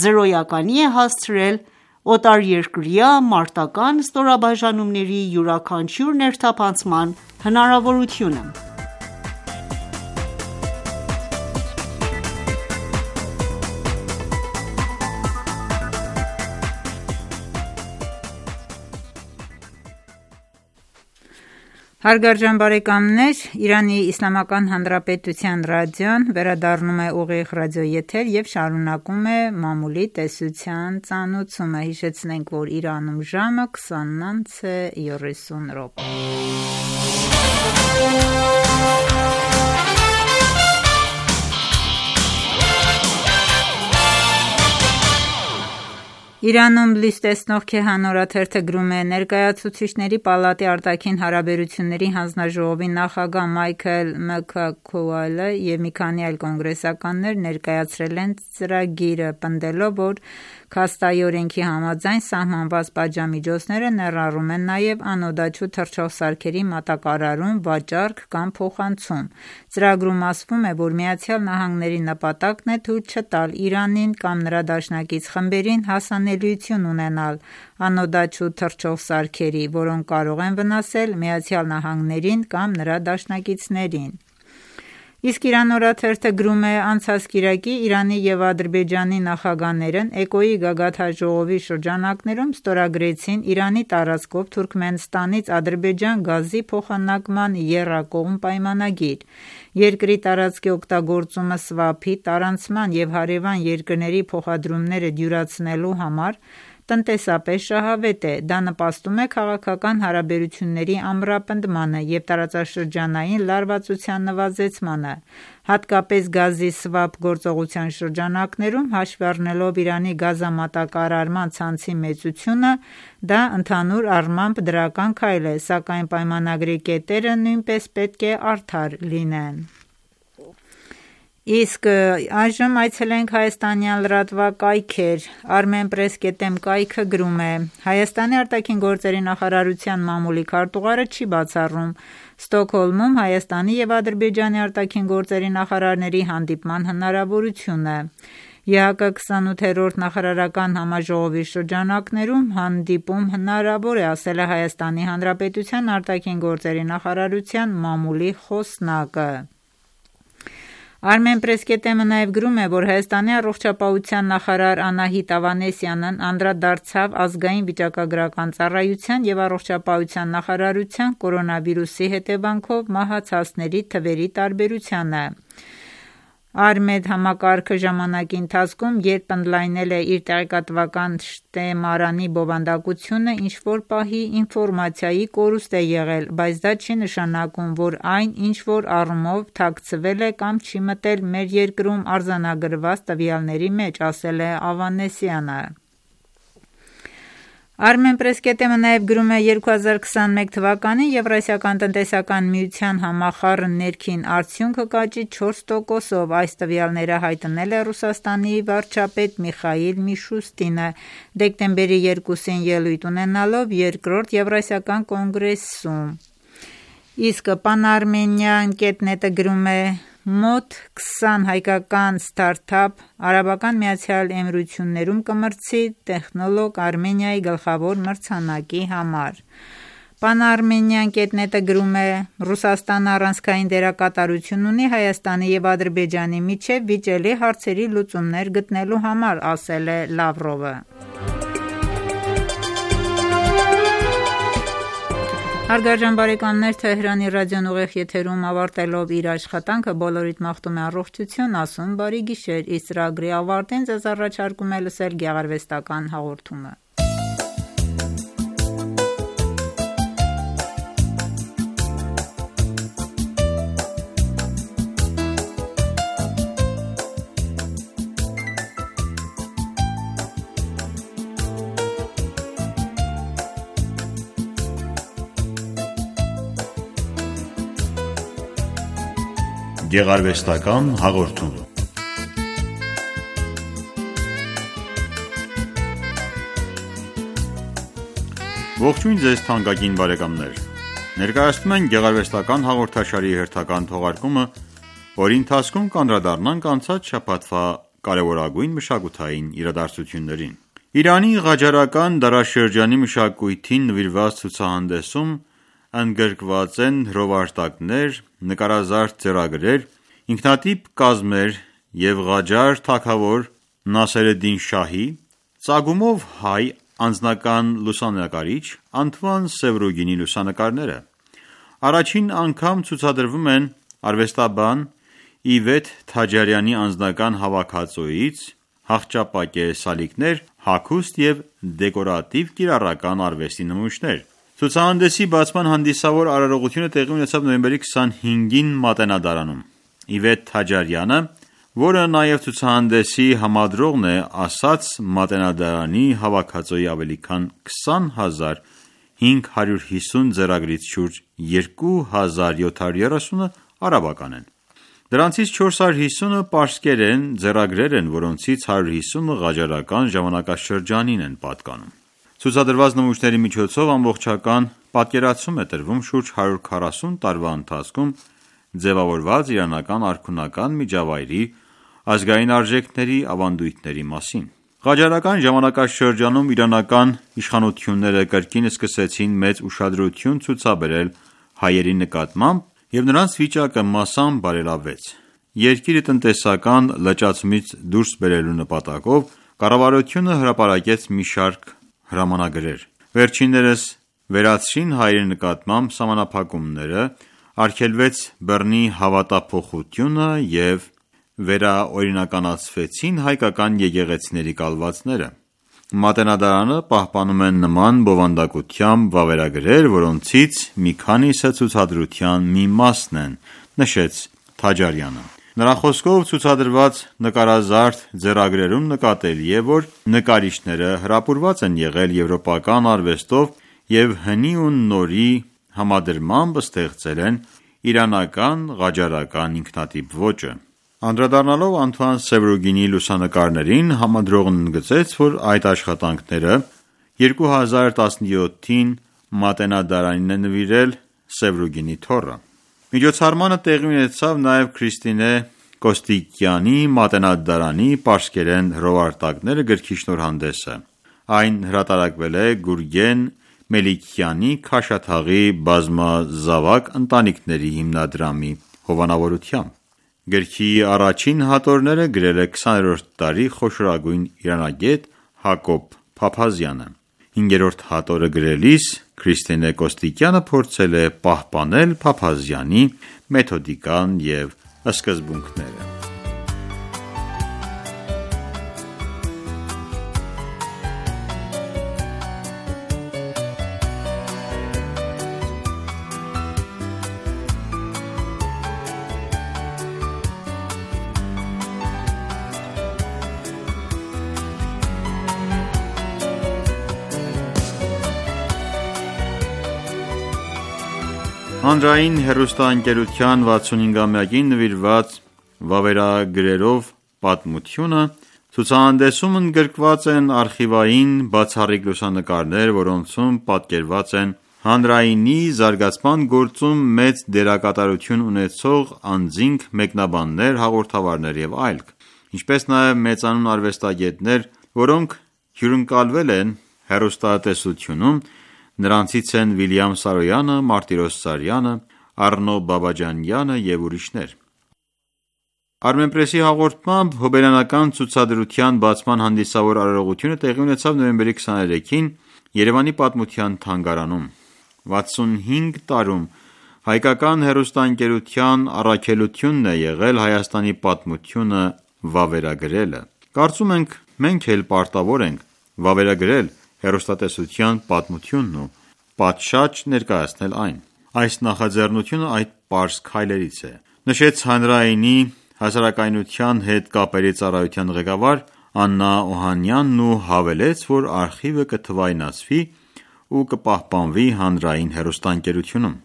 զրոյականի է հասցրել օտարերկրյա մարտական ստորաբաժանումների յուրաքանչյուր ներթափանցման հնարավորությունը: Հարգարժան բարեկամներ, Իրանի Իսլամական Հանրապետության ռադիոն վերադառնում է ուղիղ ռադիոեթեր և շարունակում է մամուլի տեսության ծանուցումը: Հիշեցնենք, որ Իրանում ժամը 20:30 է: Իրանում լույս տեսնող «Քեհան» օրաթերթը գրում է. «Ներկայացուցիչների պալատի արտաքին հարաբերությունների հանձնաժողովի նախագահ Մայքլ Մաքքոուելը և մի քանի այլ կոնգրեսականներ ներկայացրել են ծրագիրը՝ պնդելով, որ Քաստայի օրենքի համաձայն սահմանված պատժամիջոցները ներառում են նաև անօդաչու թռչող սարքերի մատակարարում, վաճառք կամ փոխանցում: Ծրագրում ասվում է, որ ԱՄՆ-ի նպատակն է թույլ չտալ Իրանին կամ նրա դաշնակից խմբերին հասանելիություն ունենալ անօդաչու թռչող սարքերի, որոնք կարող են վնասել ԱՄՆ-ին կամ նրա դաշնակիցներին»: Իսկ Իրան օրաթերթը գրում է. «Անցած կիրակի Իրանի և Ադրբեջանի նախագահներն ԷԿՕ-ի գագաթնաժողովի շրջանակներում ստորագրեցին Իրանի տարածքով Թուրքմենստանից Ադրբեջան գազի փոխանակման եռակողմ պայմանագիր: Երկրի տարածքի օգտագործումը սվափի, տարանցման և հարևան երկրների փոխադրումները դյուրացնելու համար տնտեսապես շահավետ է: Դա նպաստում է քաղաքական հարաբերությունների ամրապնդմանը և տարածաշրջանային լարվածության նվազեցմանը: Հատկապես գազի սվափ գործողության շրջանակներում, հաշվի առնելով Իրանի գազամատակարարման ցանցի մեծությունը, դա ընդհանուր առմամբ դրական քայլ է, սակայն պայմանագրի կետերը նույնպես պետք է արդար լինեն: Իսկ այժմ այցելենք հայաստանյան լրատվակայքեր: Armenpress.am կայքը գրում է. «Հայաստանի ԱԳ նախարարության մամուլի քարտուղարը չի բացառում Ստոկհոլմում Հայաստանի և Ադրբեջանի ԱԳ նախարարների հանդիպման հնարավորությունը: ԵՀԿ-28-րդ նախարարական համաժողովի շրջանակներում հանդիպում հնարավոր է, ասել է Հայաստանի Հանրապետության ԱԳ նախարարության մամուլի խոսնակը: Armenpress.am-ը նաև գրում է, որ Հայաստանի առողջապահության նախարար Անահիտ Ավանեսյանն անդրադարձավ Ազգային վիճակագրական ծառայության և առողջապահության նախարարության կորոնավիրուսի հետևանքով մահացածների թվերի տարբերությանը: Արմեդ համակարգը ժամանակի ընթացքում երբ ընդլայնել է իր տեղեկատվական շտեմարանի բովանդակությունը, ինչ-որ պահի ինֆորմացիայի կորուստ է եղել, բայց դա չի նշանակում, որ այն ինչ-որ առումով թաքցվել է կամ չի մտել մեր երկրում արձանագրված տվյալների մեջ, ասել է Ավանեսյանը: Armenpress.am-ը նաև գրում է 2021 թվականին Եվրասիական տնտեսական միության համախառն ներքին արդյունքը կաճի 4%-ով: Այս տվյալները հայտնել է Ռուսաստանի վարչապետ Միխայիլ Միշուստինը դեկտեմբերի 2-ին ելույթ ունենալով Երկրորդ Եվրասիական կոնգրեսում: Իսկ Pan-Armenian.net-ը գրում է. «Մոտ 20 հայկական ստարթափ ԱՄԷ-ում կմրցի տեխնոլոգ Արմենիայի գլխավոր մրցանակի համար»: Pan-Armenian.net-ը գրում է. «Ռուսաստանը առանցքային դերակատարություն ունի Հայաստանի և Ադրբեջանի միջև վիճելի հարցերի լուծումներ գտնելու համար», ասել է Լավրովը: Հարգարժան բարեկամներ, Թեհրանի ռադիոն ուղիղ եթերում ավարտելով իր աշխատանքը բոլորիդ մաղթում է առողջություն, ասում բարի գիշեր: Իսկ ծրագրի ավարտին ձեզ առաջարկում է լսել գեղարվեստական հաղորդումը: Գեղարվեստական հաղորդում Ողջույն ձեզ թանկագին բարեկամներ: Ներկայացնում ենք գեղարվեստական հաղորդաշարի հերթական թողարկումը, որի ընթացքում կանդրադառնանք անցած շաբաթվա կարևորագույն մշակութային իրադարձություններին: Իրանի Ղաջարական դարաշրջանի մշակույթին նվիրված ցուցահանդեսում ընդգրկված են հրովարտակներ, նկարազարդ ձեռագրեր, ինքնատիպ կազմեր և Ղաջար թագավոր Նասերեդին Շահի, ծագումով հայ անձնական լուսանկարիչ Անթուան Սևրուգինի լուսանկարները: Առաջին անգամ ցուցադրվում են արվեստաբան Իվետ Թաջարյանի անձնական հավաքածուից «Հաղճապակե սալիկներ», «Հագուստ և դեկորատիվ կիրառական արվեստի նմուշներ»: Ցուցահանդեսի բացման հանդիսավոր արարողությունը տեղի ունեցավ նոյեմբերի 25-ին Մատենադարանում: Իվետ Թաջարյանը, որը նաև ցուցահանդեսի համադրողն է, ասաց Մատենադարանի հավաքածուի ավելի քան 20,550 ձեռագրից շուրջ 2730-ը արաբական են: Դրանցից 450-ը պարսկերեն ձեռագրեր են, որոնցից 150-ը Ղաջարական ժամանակաշրջանին են պատկանում: Ցուցադրված նմուշների միջոցով ամբողջական պատկերացում է տրվում շուրջ 140 տարվա ընթացքում ձևավորված իրանական արքունական միջավայրի ազգային արժեքների, ավանդույթների մասին: Ղաջարական ժամանակաշրջանում իրանական իշխանությունները կրկին սկսեցին մեծ ուշադրություն ցուցաբերել հայերի նկատմամբ և նրանց վիճակը մասամբ բարելավվեց: Երկիրը տնտեսական լճացումից դուրս բերելու նպատակով կառավարությունը հրապարակեց մի շարք հրամանագրեր: Վերջիններս վերացրին հայերի նկատմամբ սահմանափակումները, արգելվեց բռնի հավատափոխությունը և վերաօրինականացվեցին հայկական եկեղեցիների կալվածները: Մատենադարանը պահպանում է նման բովանդակությամբ վավերագրեր, որոնցից մի քանիսը ցուցադրության մի մասն են, նշեց Թաջարյանը: Նրա խոսքով ցուցադրված նկարազարդ ձեռագրերում նկատելի է, որ նկարիչները հրապուրված են եղել եվրոպական արվեստով և հնի ու նորի համադրմամբ ստեղծել են իրանական ղաջարական ինքնատիպ ոճը: Անդրադառնալով Անթուան Սևրուգինի լուսանկարներին, համադրողն ընդգծեց, որ այդ աշխատանքները 2017-ին Մատենադարանին է նվիրել Սևրուգինի թոռը: Միջոցառմանը տեղի ունեցավ նաև Քրիստինե Կոստիկյանի «Մատենադարանի պարսկերեն հրովարտակները» գրքի շնորհանդեսը: Այն հրատարակվել է Գուրգեն Մելիքյանի «Քաշաթաղի բազմազավակ ընտանիքների» հիմնադրամի հովանավորությամբ: Գրքի առաջին հատորները գրել է 20-րդ դարի խոշորագույն իրանագետ Հակոբ Փափազյանը: Հինգերորդ հատորը գրելիս Քրիստինե Կոստիկյանը փորձել է պահպանել Փափազյանի մեթոդիկան և սկզբունքները: Հանրային հեռուստաընկերության 65-ամյակին նվիրված վավերագրերով պատմությունը ցուցահանդեսում ընդգրկված են արխիվային բացառիկ լուսանկարներ, որոնցում պատկերված են հանրայինի զարգացման գործում մեծ դերակատարություն ունեցող անձինք, մեկնաբաններ, հաղորդավարներ և այլք, ինչպես նաև մեծանուն արվեստագետներ, որոնք հյուրընկալվել են հեռուստատեսությունում, նրանցից են Վիլյամ Սարոյանը, Մարտիրոս Սարյանը, Առնո Բաբաջանյանը և ուրիշներ։ Armenpress-ի հաղորդմամբ հոբելյանական ցուցադրության բացման հանդիսավոր արարողությունը տեղի ունեցավ նոյեմբերի 23-ին Երևանի Պատմության թանգարանում։ 65 տարում հայկական հեռուստաընկերության առաքելությունն է եղել Հայաստանի պատմությունը վավերագրելը։ Կարծում ենք մենք էլ պարտավոր ենք վավերագրել հեռուստատեսության պատմությունն ու պատշաճ ներկայացնել այն։ Այս նախաձեռնությունը այդ պարզ քայլերից է, նշեց հանրայինի հասարակայնության հետ կապերի ծառայության ղեկավար Աննա Օհանյանն ու հավելեց, որ արխիվը կթվայնացվի ու կպահպանվի հանրային հեռուստաընկերությունում։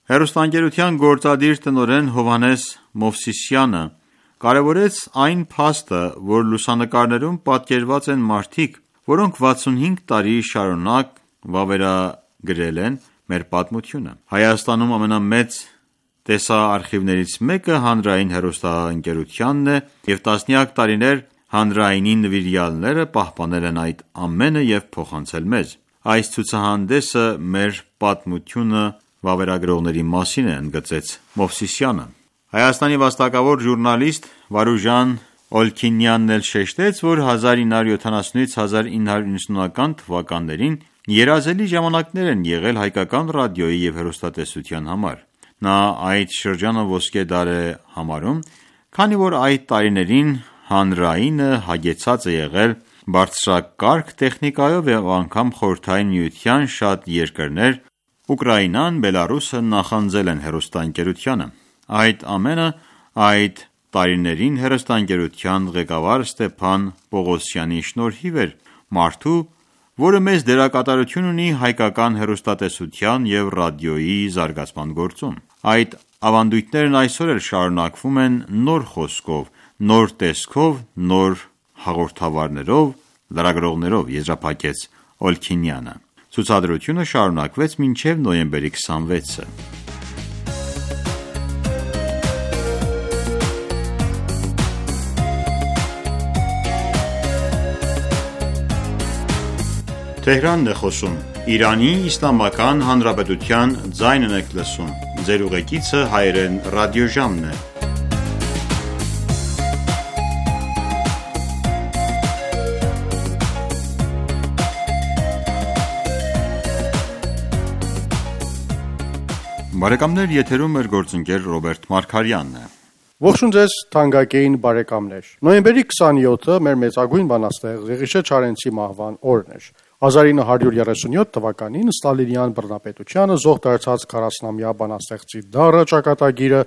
Հեռուստաընկերության գործադիր տնօրեն Հովհաննես Մովսիսյանը կարևորեց այն փաստը, որ լուսանկարներում պատկերված են մարդիկ, որոնք 65 տարի շարունակ վավերագրել են մեր պատմությունը։ Հայաստանում ամենամեծ տեսաարխիվներից մեկը հանրային հեռուստաընկերությանն է և տասնյակ տարիներ հանրայինի նվիրյալները պահպանել են այդ ամենը և փոխանցել մեզ։ Այս ցուցահանդեսը մեր պատմությունը վավերագրողների մասին է, ընդգծեց Մովսիսյանը։ Հայաստանի վաստակավոր ժուրնալիստ Վարուժան Օլքինյանն էլ շեշտեց, որ 1970-ից 1990-ական թվականներին երազելի ժամանակներ են եղել հայկական ռադիոյի և հեռուստատեսության համար։ Նա այդ շրջանը ոսկե դար է համարում, քանի որ այդ տարիներին հանրայինը հագեցած է եղել բարձրակարգ տեխնիկայով և անգամ Խորհրդային Միության շատ երկրներ Ուկրաինան, Բելառուսը նախանձել են հեռուստաընկերությանը։ Այդ ամենը այդ տարիներին հեռուստաընկերության ղեկավար Ստեփան Պողոսյանի շնորհիվ էր, մարդու, որը մեծ դերակատարություն ունի հայկական հեռուստատեսության և ռադիոյի զարգացման գործում։ Այդ ավանդույթներն այսօր էլ շարունակվում են նոր խոսքով, նոր տեսքով, նոր հաղորդավարներով, լրագրողներով, եզրափակեց Օլքինյանը։ Ցուցադրությունը շարունակվեց մինչև նոյեմբերի 26-ը։ Բարեկամներ, եթերում մեր գործընկեր Ռոբերտ Մարգարյանն է։ Ողջույն ձեզ թանկագին բարեկամներ։ Նոյեմբերի 27-ը մեր մեծագույն բանաստեղծ Եղիշե Չարենցի մահվան օրն էր։ 1937 թվականին Ստալինյան բռնապետությանը զոհ դարձած 40-ամյա բանաստեղծի դառը ճակատագիրը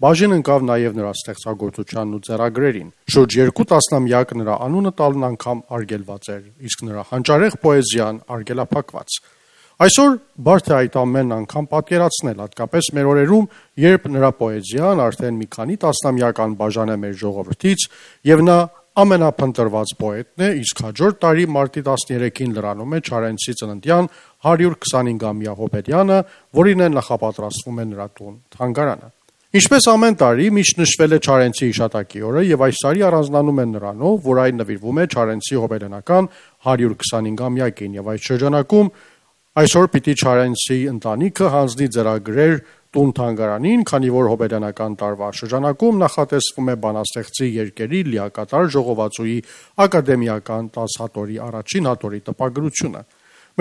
բաժին ընկավ նաև նրա ստեղծագործությանն ու ձեռագրերին։ Շուրջ 2 տասնամյակ նրա անունը տալն անգամ արգելված էր, իսկ նրա հանճարեղ պոեզիան արգելափակված։ Այսօր բարդ է այդ ամենն անգամ պատկերացնել, հատկապես մեր օրերում, երբ նրա պոեզիան արդեն մի քանի տասնամյակ անբաժան է մեր ժողովրդից, եւ նա ամենափնտրված պոետն է, իսկ հաջորդ տարի մարտի 13-ին լրանում է Չարենցի ծննդյան 125-ամյա հոբելյանը, որին է նախապատրաստվում է նրա տուն թանգարանը։ Ինչպես ամեն տարի միշտ նշվել է Չարենցի հիշատակի օրը եւ այս տարի առանձնանում է նրանով, որ այն նվիրվում է Չարենցի հոբելյանական 125-ամյակին եւ այդ շրջանակում այսօր պիտի Չարենցի ընտանիքը հանձնի ձեռագրեր տուն թանգարանին, քանի որ հոբելյանական տարվա շրջանակում նախատեսվում է բանաստեղծի երկերի լիակատար ժողովածուի ակադեմիական 10 հատորի առաջին հատորի տպագրությունը։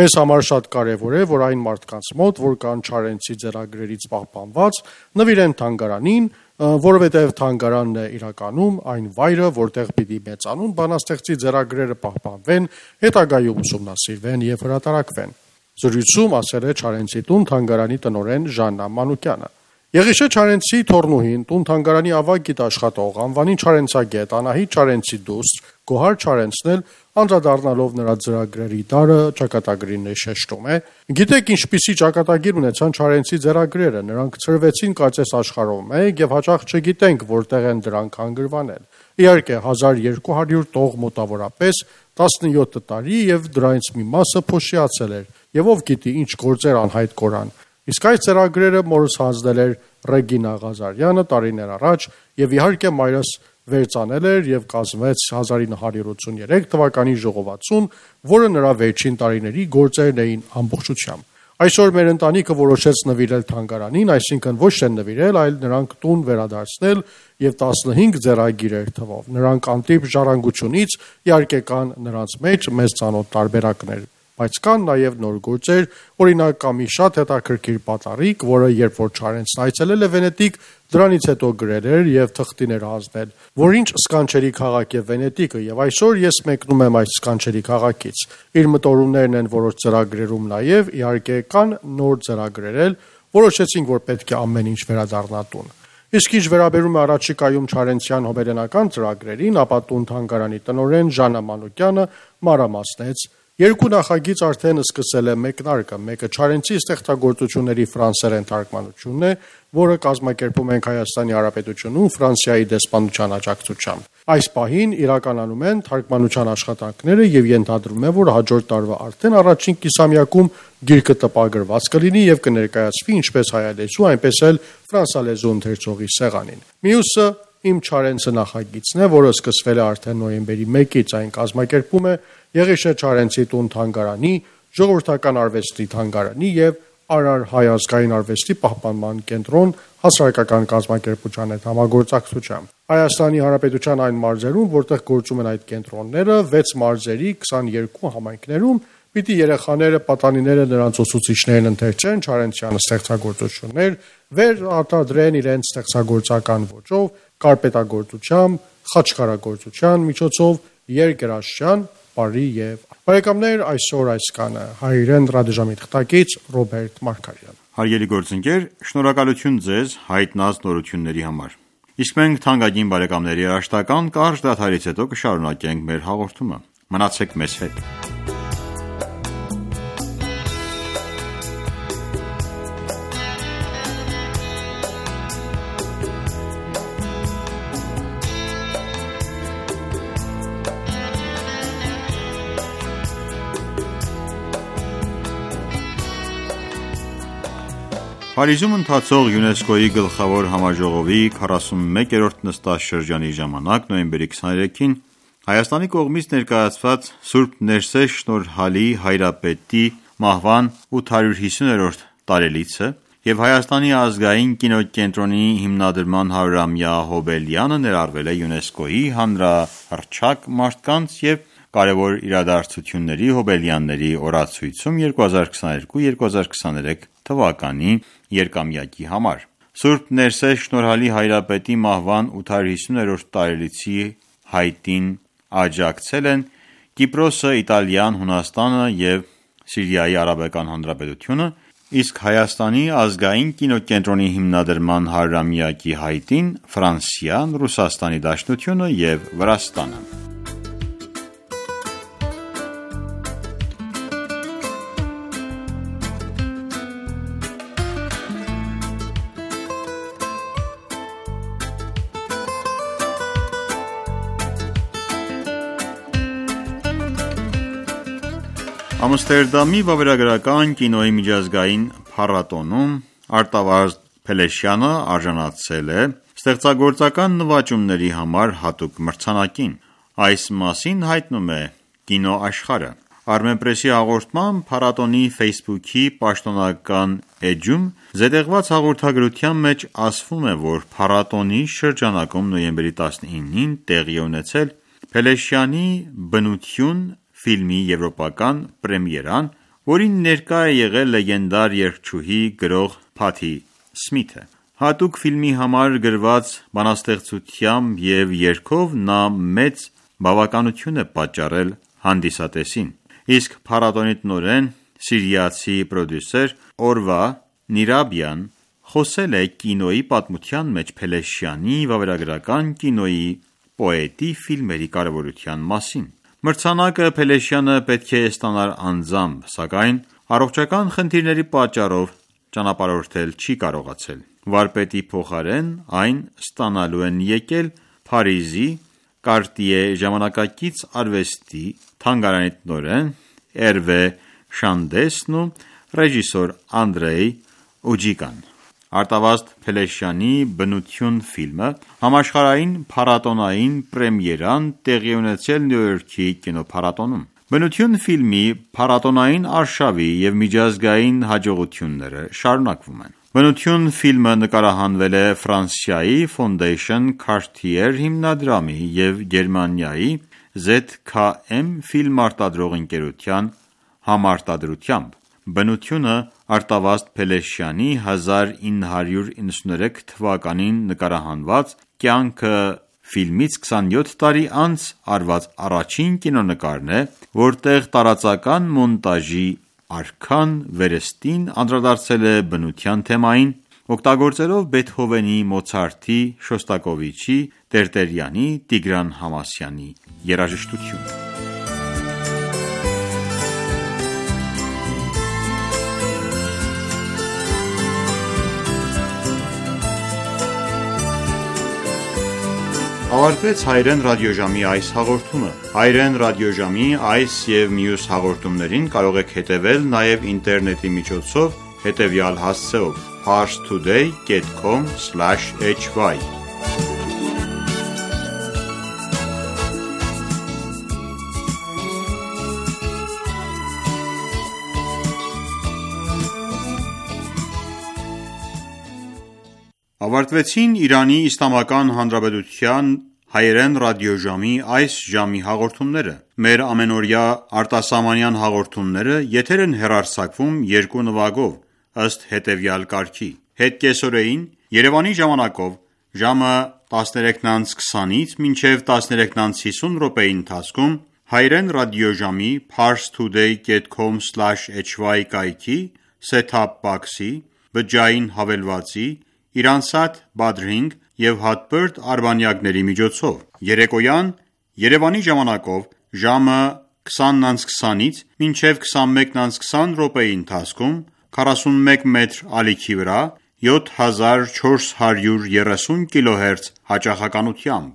Մեզ համար շատ կարևոր է, որ այն մարդկանց մոտ, որ կան Չարենցի ձեռագրերից պահպանված, նվիրեն թանգարանին, որովհետև թանգարանն է իրականում այն վայրը, որտեղ պիտի մեծանուն բանաստեղծի ձեռագրերը պահպանվեն, հետագայում ուսումնասիրվեն եւ հրատարակվեն։ Զրույցում ասել է Չարենցի տուն թանգարանի տնօրեն Ժաննա Մանուկյանը։ Եղիշե Չարենցի թորնուհին տուն թանգարանի ավագ գիտաշխատող, անվանի Չարենցագետ Անահիտ Չարենցի դուստր Գոհար Չարենցն էլ անդրադառնալով նրա ծրագրերի տարը ճակատագրին շեշտում է. «Գիտեք ինչպիսի ճակատագիր ունեցան Չարենցի ծրագրերը, նրանք ծրվեցին կարծես աշխարհով մեկ եւ հաճախ չգիտենք որտեղ են դրանք հանգրվանել։ Իհարկե 1200 տող մոտավորապես 17 տարի եւ դրանից մի մասը փոշիացել էր եւ ով գիտի ինչ գործեր անհայտ կորան։ Իսկ այս ծրագրերը մորս հանձնել էր Ռեգինա Ղազարյանը տարիներ առաջ եւ իհարկե մայրս վերծանել էր եւ կազմեց 1983 թվականի ժողովածուն, որը նրա վերջին տարիների գործերն էին ամբողջությամբ։ Այսօր մեր ընտանիքը որոշեց նվիրել թանգարանին, այսինքն ոչ թե նվիրել, այլ նրանք տուն վերադարձնել եւ 15 ձեռագիրեր թվով։ Նրանք անտիպ ժառանգությունից իհարկե կան նրանց մեջ մեծ ծանոթ տարբերակներ, բայց կան նաև նոր գործեր, օրինակ կա մի շատ հետաքրքիր պատառիկ, որը երբ որ Չարենցն այցելել է Վենետիկ, դրանից հետո գրել էր եւ թղթիներ հանձնել, որ ինչ սկանչերի քաղաք է Վենետիկը, եւ այսօր ես մեկնում եմ այս սկանչերի քաղաքից։ Իր մտորումներն են որոշ ծրագրերում նաև իհարկե կան նոր ծրագրեր, որոշեցինք, որ պետք է ամեն ինչ վերադառնա տուն։ Իսկ ինչ վերաբերում է առաջիկայում Չարենցյան հոբելենական ծրագրերին, ապա տուն թանգարանի տնօրեն Ժանա Մանուկյանը մանրամասնեց. Երկու նախագիծ արդեն սկսել է մեկնարկը, մեկը Չարենցի ստեղծագործությունների ֆրանսերեն թարգմանությունն է, որը կազմակերպում ենք Հայաստանի Հանրապետությունում Ֆրանսիայի դեսպանության աջակցությամբ։ Այս պահին իրականանում են թարգմանության աշխատանքները եւ ենթադրվում է, որ հաջորդ տարվա արդեն առաջին կիսամյակում գիրքը տպագրված կլինի եւ կներկայացվի ինչպես հայալեզու, այնպես էլ ֆրանսալեզու ընթերցողի սեղանին։ Մյուսը Իմ Չարենցը նախագիծն է, որը սկսվել է արդեն նոյեմբերի 1-ից, այն կազմակերպում է Եղիշե Չարենցի տուն թանգարանի, Ժողովրդական արվեստի թանգարանի եւ Արար հայ ազգային արվեստի պահպանման կենտրոն հասարակական կազմակերպության հետ համագործակցությամբ։ Հայաստանի Հանրապետության այն մարզերում, որտեղ գործում են այդ կենտրոնները, 6 մարզերի 22 համայնքներում պիտի երեխաները, պատանիները նրանց ուսուցիչներն ընթերցեն Չարենցյան ստեղծագործություններ, վերարտադրեն իրենց ստեղծագործական ոճով, կարպետագործությամբ, խաչքարագործության միջոցով, երգերաշրջան, բարի եւ բարեկամներ, այսօր այս կանը հայրեն ռադիոժամի թղթակից Ռոբերտ Մարգարյան։ Հարգելի գործընկեր, շնորհակալություն ձեզ հայտնած նորությունների համար։ Իսկ մենք թանկագին բարեկամների երաշտական կարճ դադարից հետո կշարունակենք մեր հաղորդումը։ Մնացեք մեզ հետ։ Փարիզում ընթացող ՅՈՒՆԵՍԿՕ-ի գլխավոր համաժողովի 41-րդ նստաշրջանի ժամանակ նոյեմբերի 23-ին Հայաստանի կողմից ներկայացված Սուրբ Ներսես Շնորհալի Հայրապետի մահվան 850-րդ տարելիցը եւ Հայաստանի ազգային կինոկենտրոնի հիմնադրման 100-ամյա հոբելյանը ներառվել է ՅՈՒՆԵՍԿՕ-ի հանրահռչակ մարդկանց եւ կարևոր իրադարձությունների հոբելյանների օրացույցում 2022-2023 թվականի երկամյակի համար։ Սուրբ Ներսես Շնորհալի Հայրապետի մահվան 850-րդ տարելիցի հայտին աջակցել են Կիպրոսը, Իտալիան, Հունաստանը եւ Սիրիայի Արաբական Հանրապետությունը, իսկ Հայաստանի ազգային կինոկենտրոնի հիմնադրման 100-ամյակի հայտին Ֆրանսիան, Ռուսաստանի Դաշնությունը եւ Վրաստանը։ Ամստերդամի վավերագրական կինոյի միջազգային փառատոնում Արտավազդ Փելեշյանը արժանացել է ստեղծագործական նվաճումների համար հատուկ մրցանակին։ Այս մասին հայտնում է Կինոաշխարհը։ Armenpress-ի հաղորդմամբ փառատոնի Facebook-ի պաշտոնական էջում զետեղված հաղորդագրության մեջ ասվում է, որ փառատոնի շրջանակում նոյեմբերի 19-ին տեղի է ունեցել Փելեշյանի «Բնություն» ֆիլմի եվրոպական պրեմիերան, որին ներկա է եղել լեգենդար երգչուհի գրող Փաթի Սմիթը։ Հատուկ ֆիլմի համար գրված բանաստեղծությամբ եւ երգով նա մեծ բավականություն է պատճառել հանդիսատեսին։ Իսկ փառատոնի տնօրեն, սիրիացի պրոդյուսեր Օրվա Նիրաբյան խոսել է կինոյի պատմության մեջ Փելեշյանի վավերագրական կինոյի պոետի ֆիլմերի կարևորության մասին։ Մրցանակը Փելեշյանը պետք է ստանար անձամբ, սակայն առողջական խնդիրների պատճառով ճանապարհորդել չի կարողացել։ Վարպետի փոխարեն այն ստանալու են եկել Փարիզի Կարտիե ժամանակակից արվեստի թանգարանի տնօրեն Էրվե Շանդեսն ու ռեժիսոր Անդրեյ Ուջիկան։ Արտավազդ Փելեշյանի «Բնություն» ֆիլմը համաշխարհային փառատոնային պրեմիերան տեղի ունեցել Նյու Յորքի կինոփառատոնում։ «Բնություն» ֆիլմի փառատոնային արշավի և միջազգային հաջողությունները շարունակվում են։ «Բնություն» ֆիլմը նկարահանվել է Ֆրանսիայի Fondation Cartier հիմնադրամի և Գերմանիայի ZKM ֆիլմ արտադրող ընկերության համարտադրությամբ։ «Բնությունը» Արտավազդ Փելեշյանի 1993 թվականին նկարահանված «Կյանքը» ֆիլմից 27 տարի անց արված առաջին կինոնկարն է, որտեղ տարածական մոնտաժի արքան վերստին անդրադարձել է բնության թեմային, օգտագործելով Բեթհովենի, Մոցարտի, Շոստակովիչի, Տերտերյանի, Տիգրան Համասյանի երաժշտություն։ Ավարտվեց հայերեն ռադիոժամի այս հաղորդումը։ Հայերեն ռադիոժամի այս և մյուս հաղորդումներին կարող եք հետևել նաև ինտերնետի միջոցով հետևյալ հասցեով՝ parstoday.com/hy Ավարտվեցին Իրանի Իսլամական Հանրապետության հայերեն ռադիոժամի այս ժամի հաղորդումները։ Մեր ամենօրյա արտասահմանյան հաղորդումները եթեր են հեռարձակվում երկու նվագով, ըստ հետևյալ կարգի. Հետ կեսօրեին Երևանի ժամանակով ժամը 13:20-ից մինչև 13:50 րոպեի ընթացքում հայերեն ռադիոժամի parstoday.com/hy կայքի set-top box-ի, բջջային հավելվածի, Իրանսատ Badrink և հատբերդ արբանյակների միջոցով։ Երեկոյան Երևանի ժամանակով ժամը 20:20-ից մինչև 21:20 րոպեի ընթացքում 41 մետր ալիքի վրա 7430 kHz հաճախականությամբ։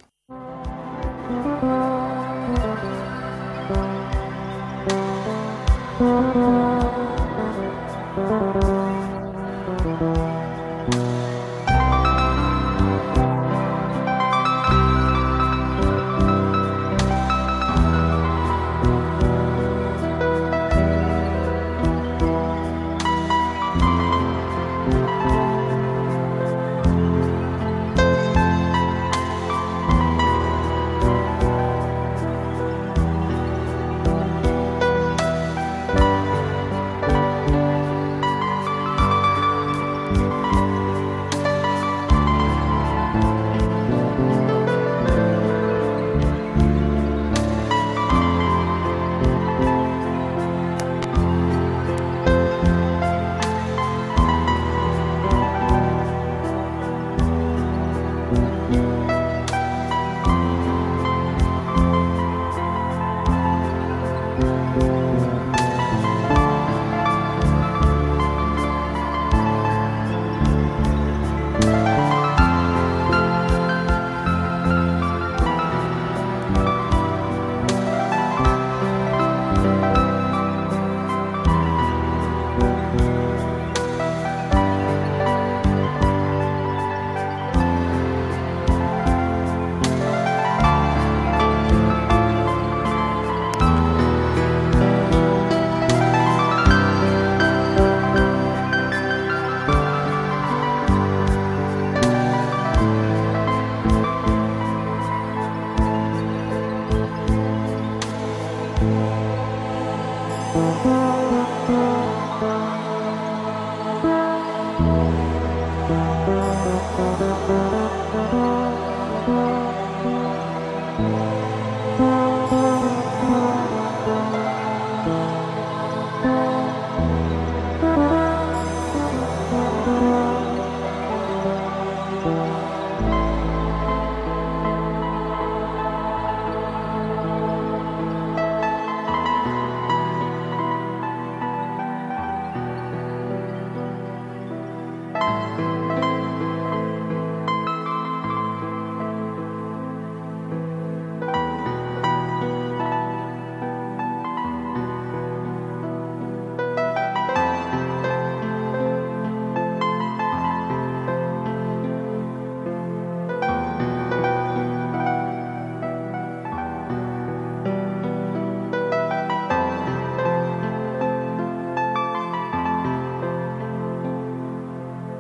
Thank you.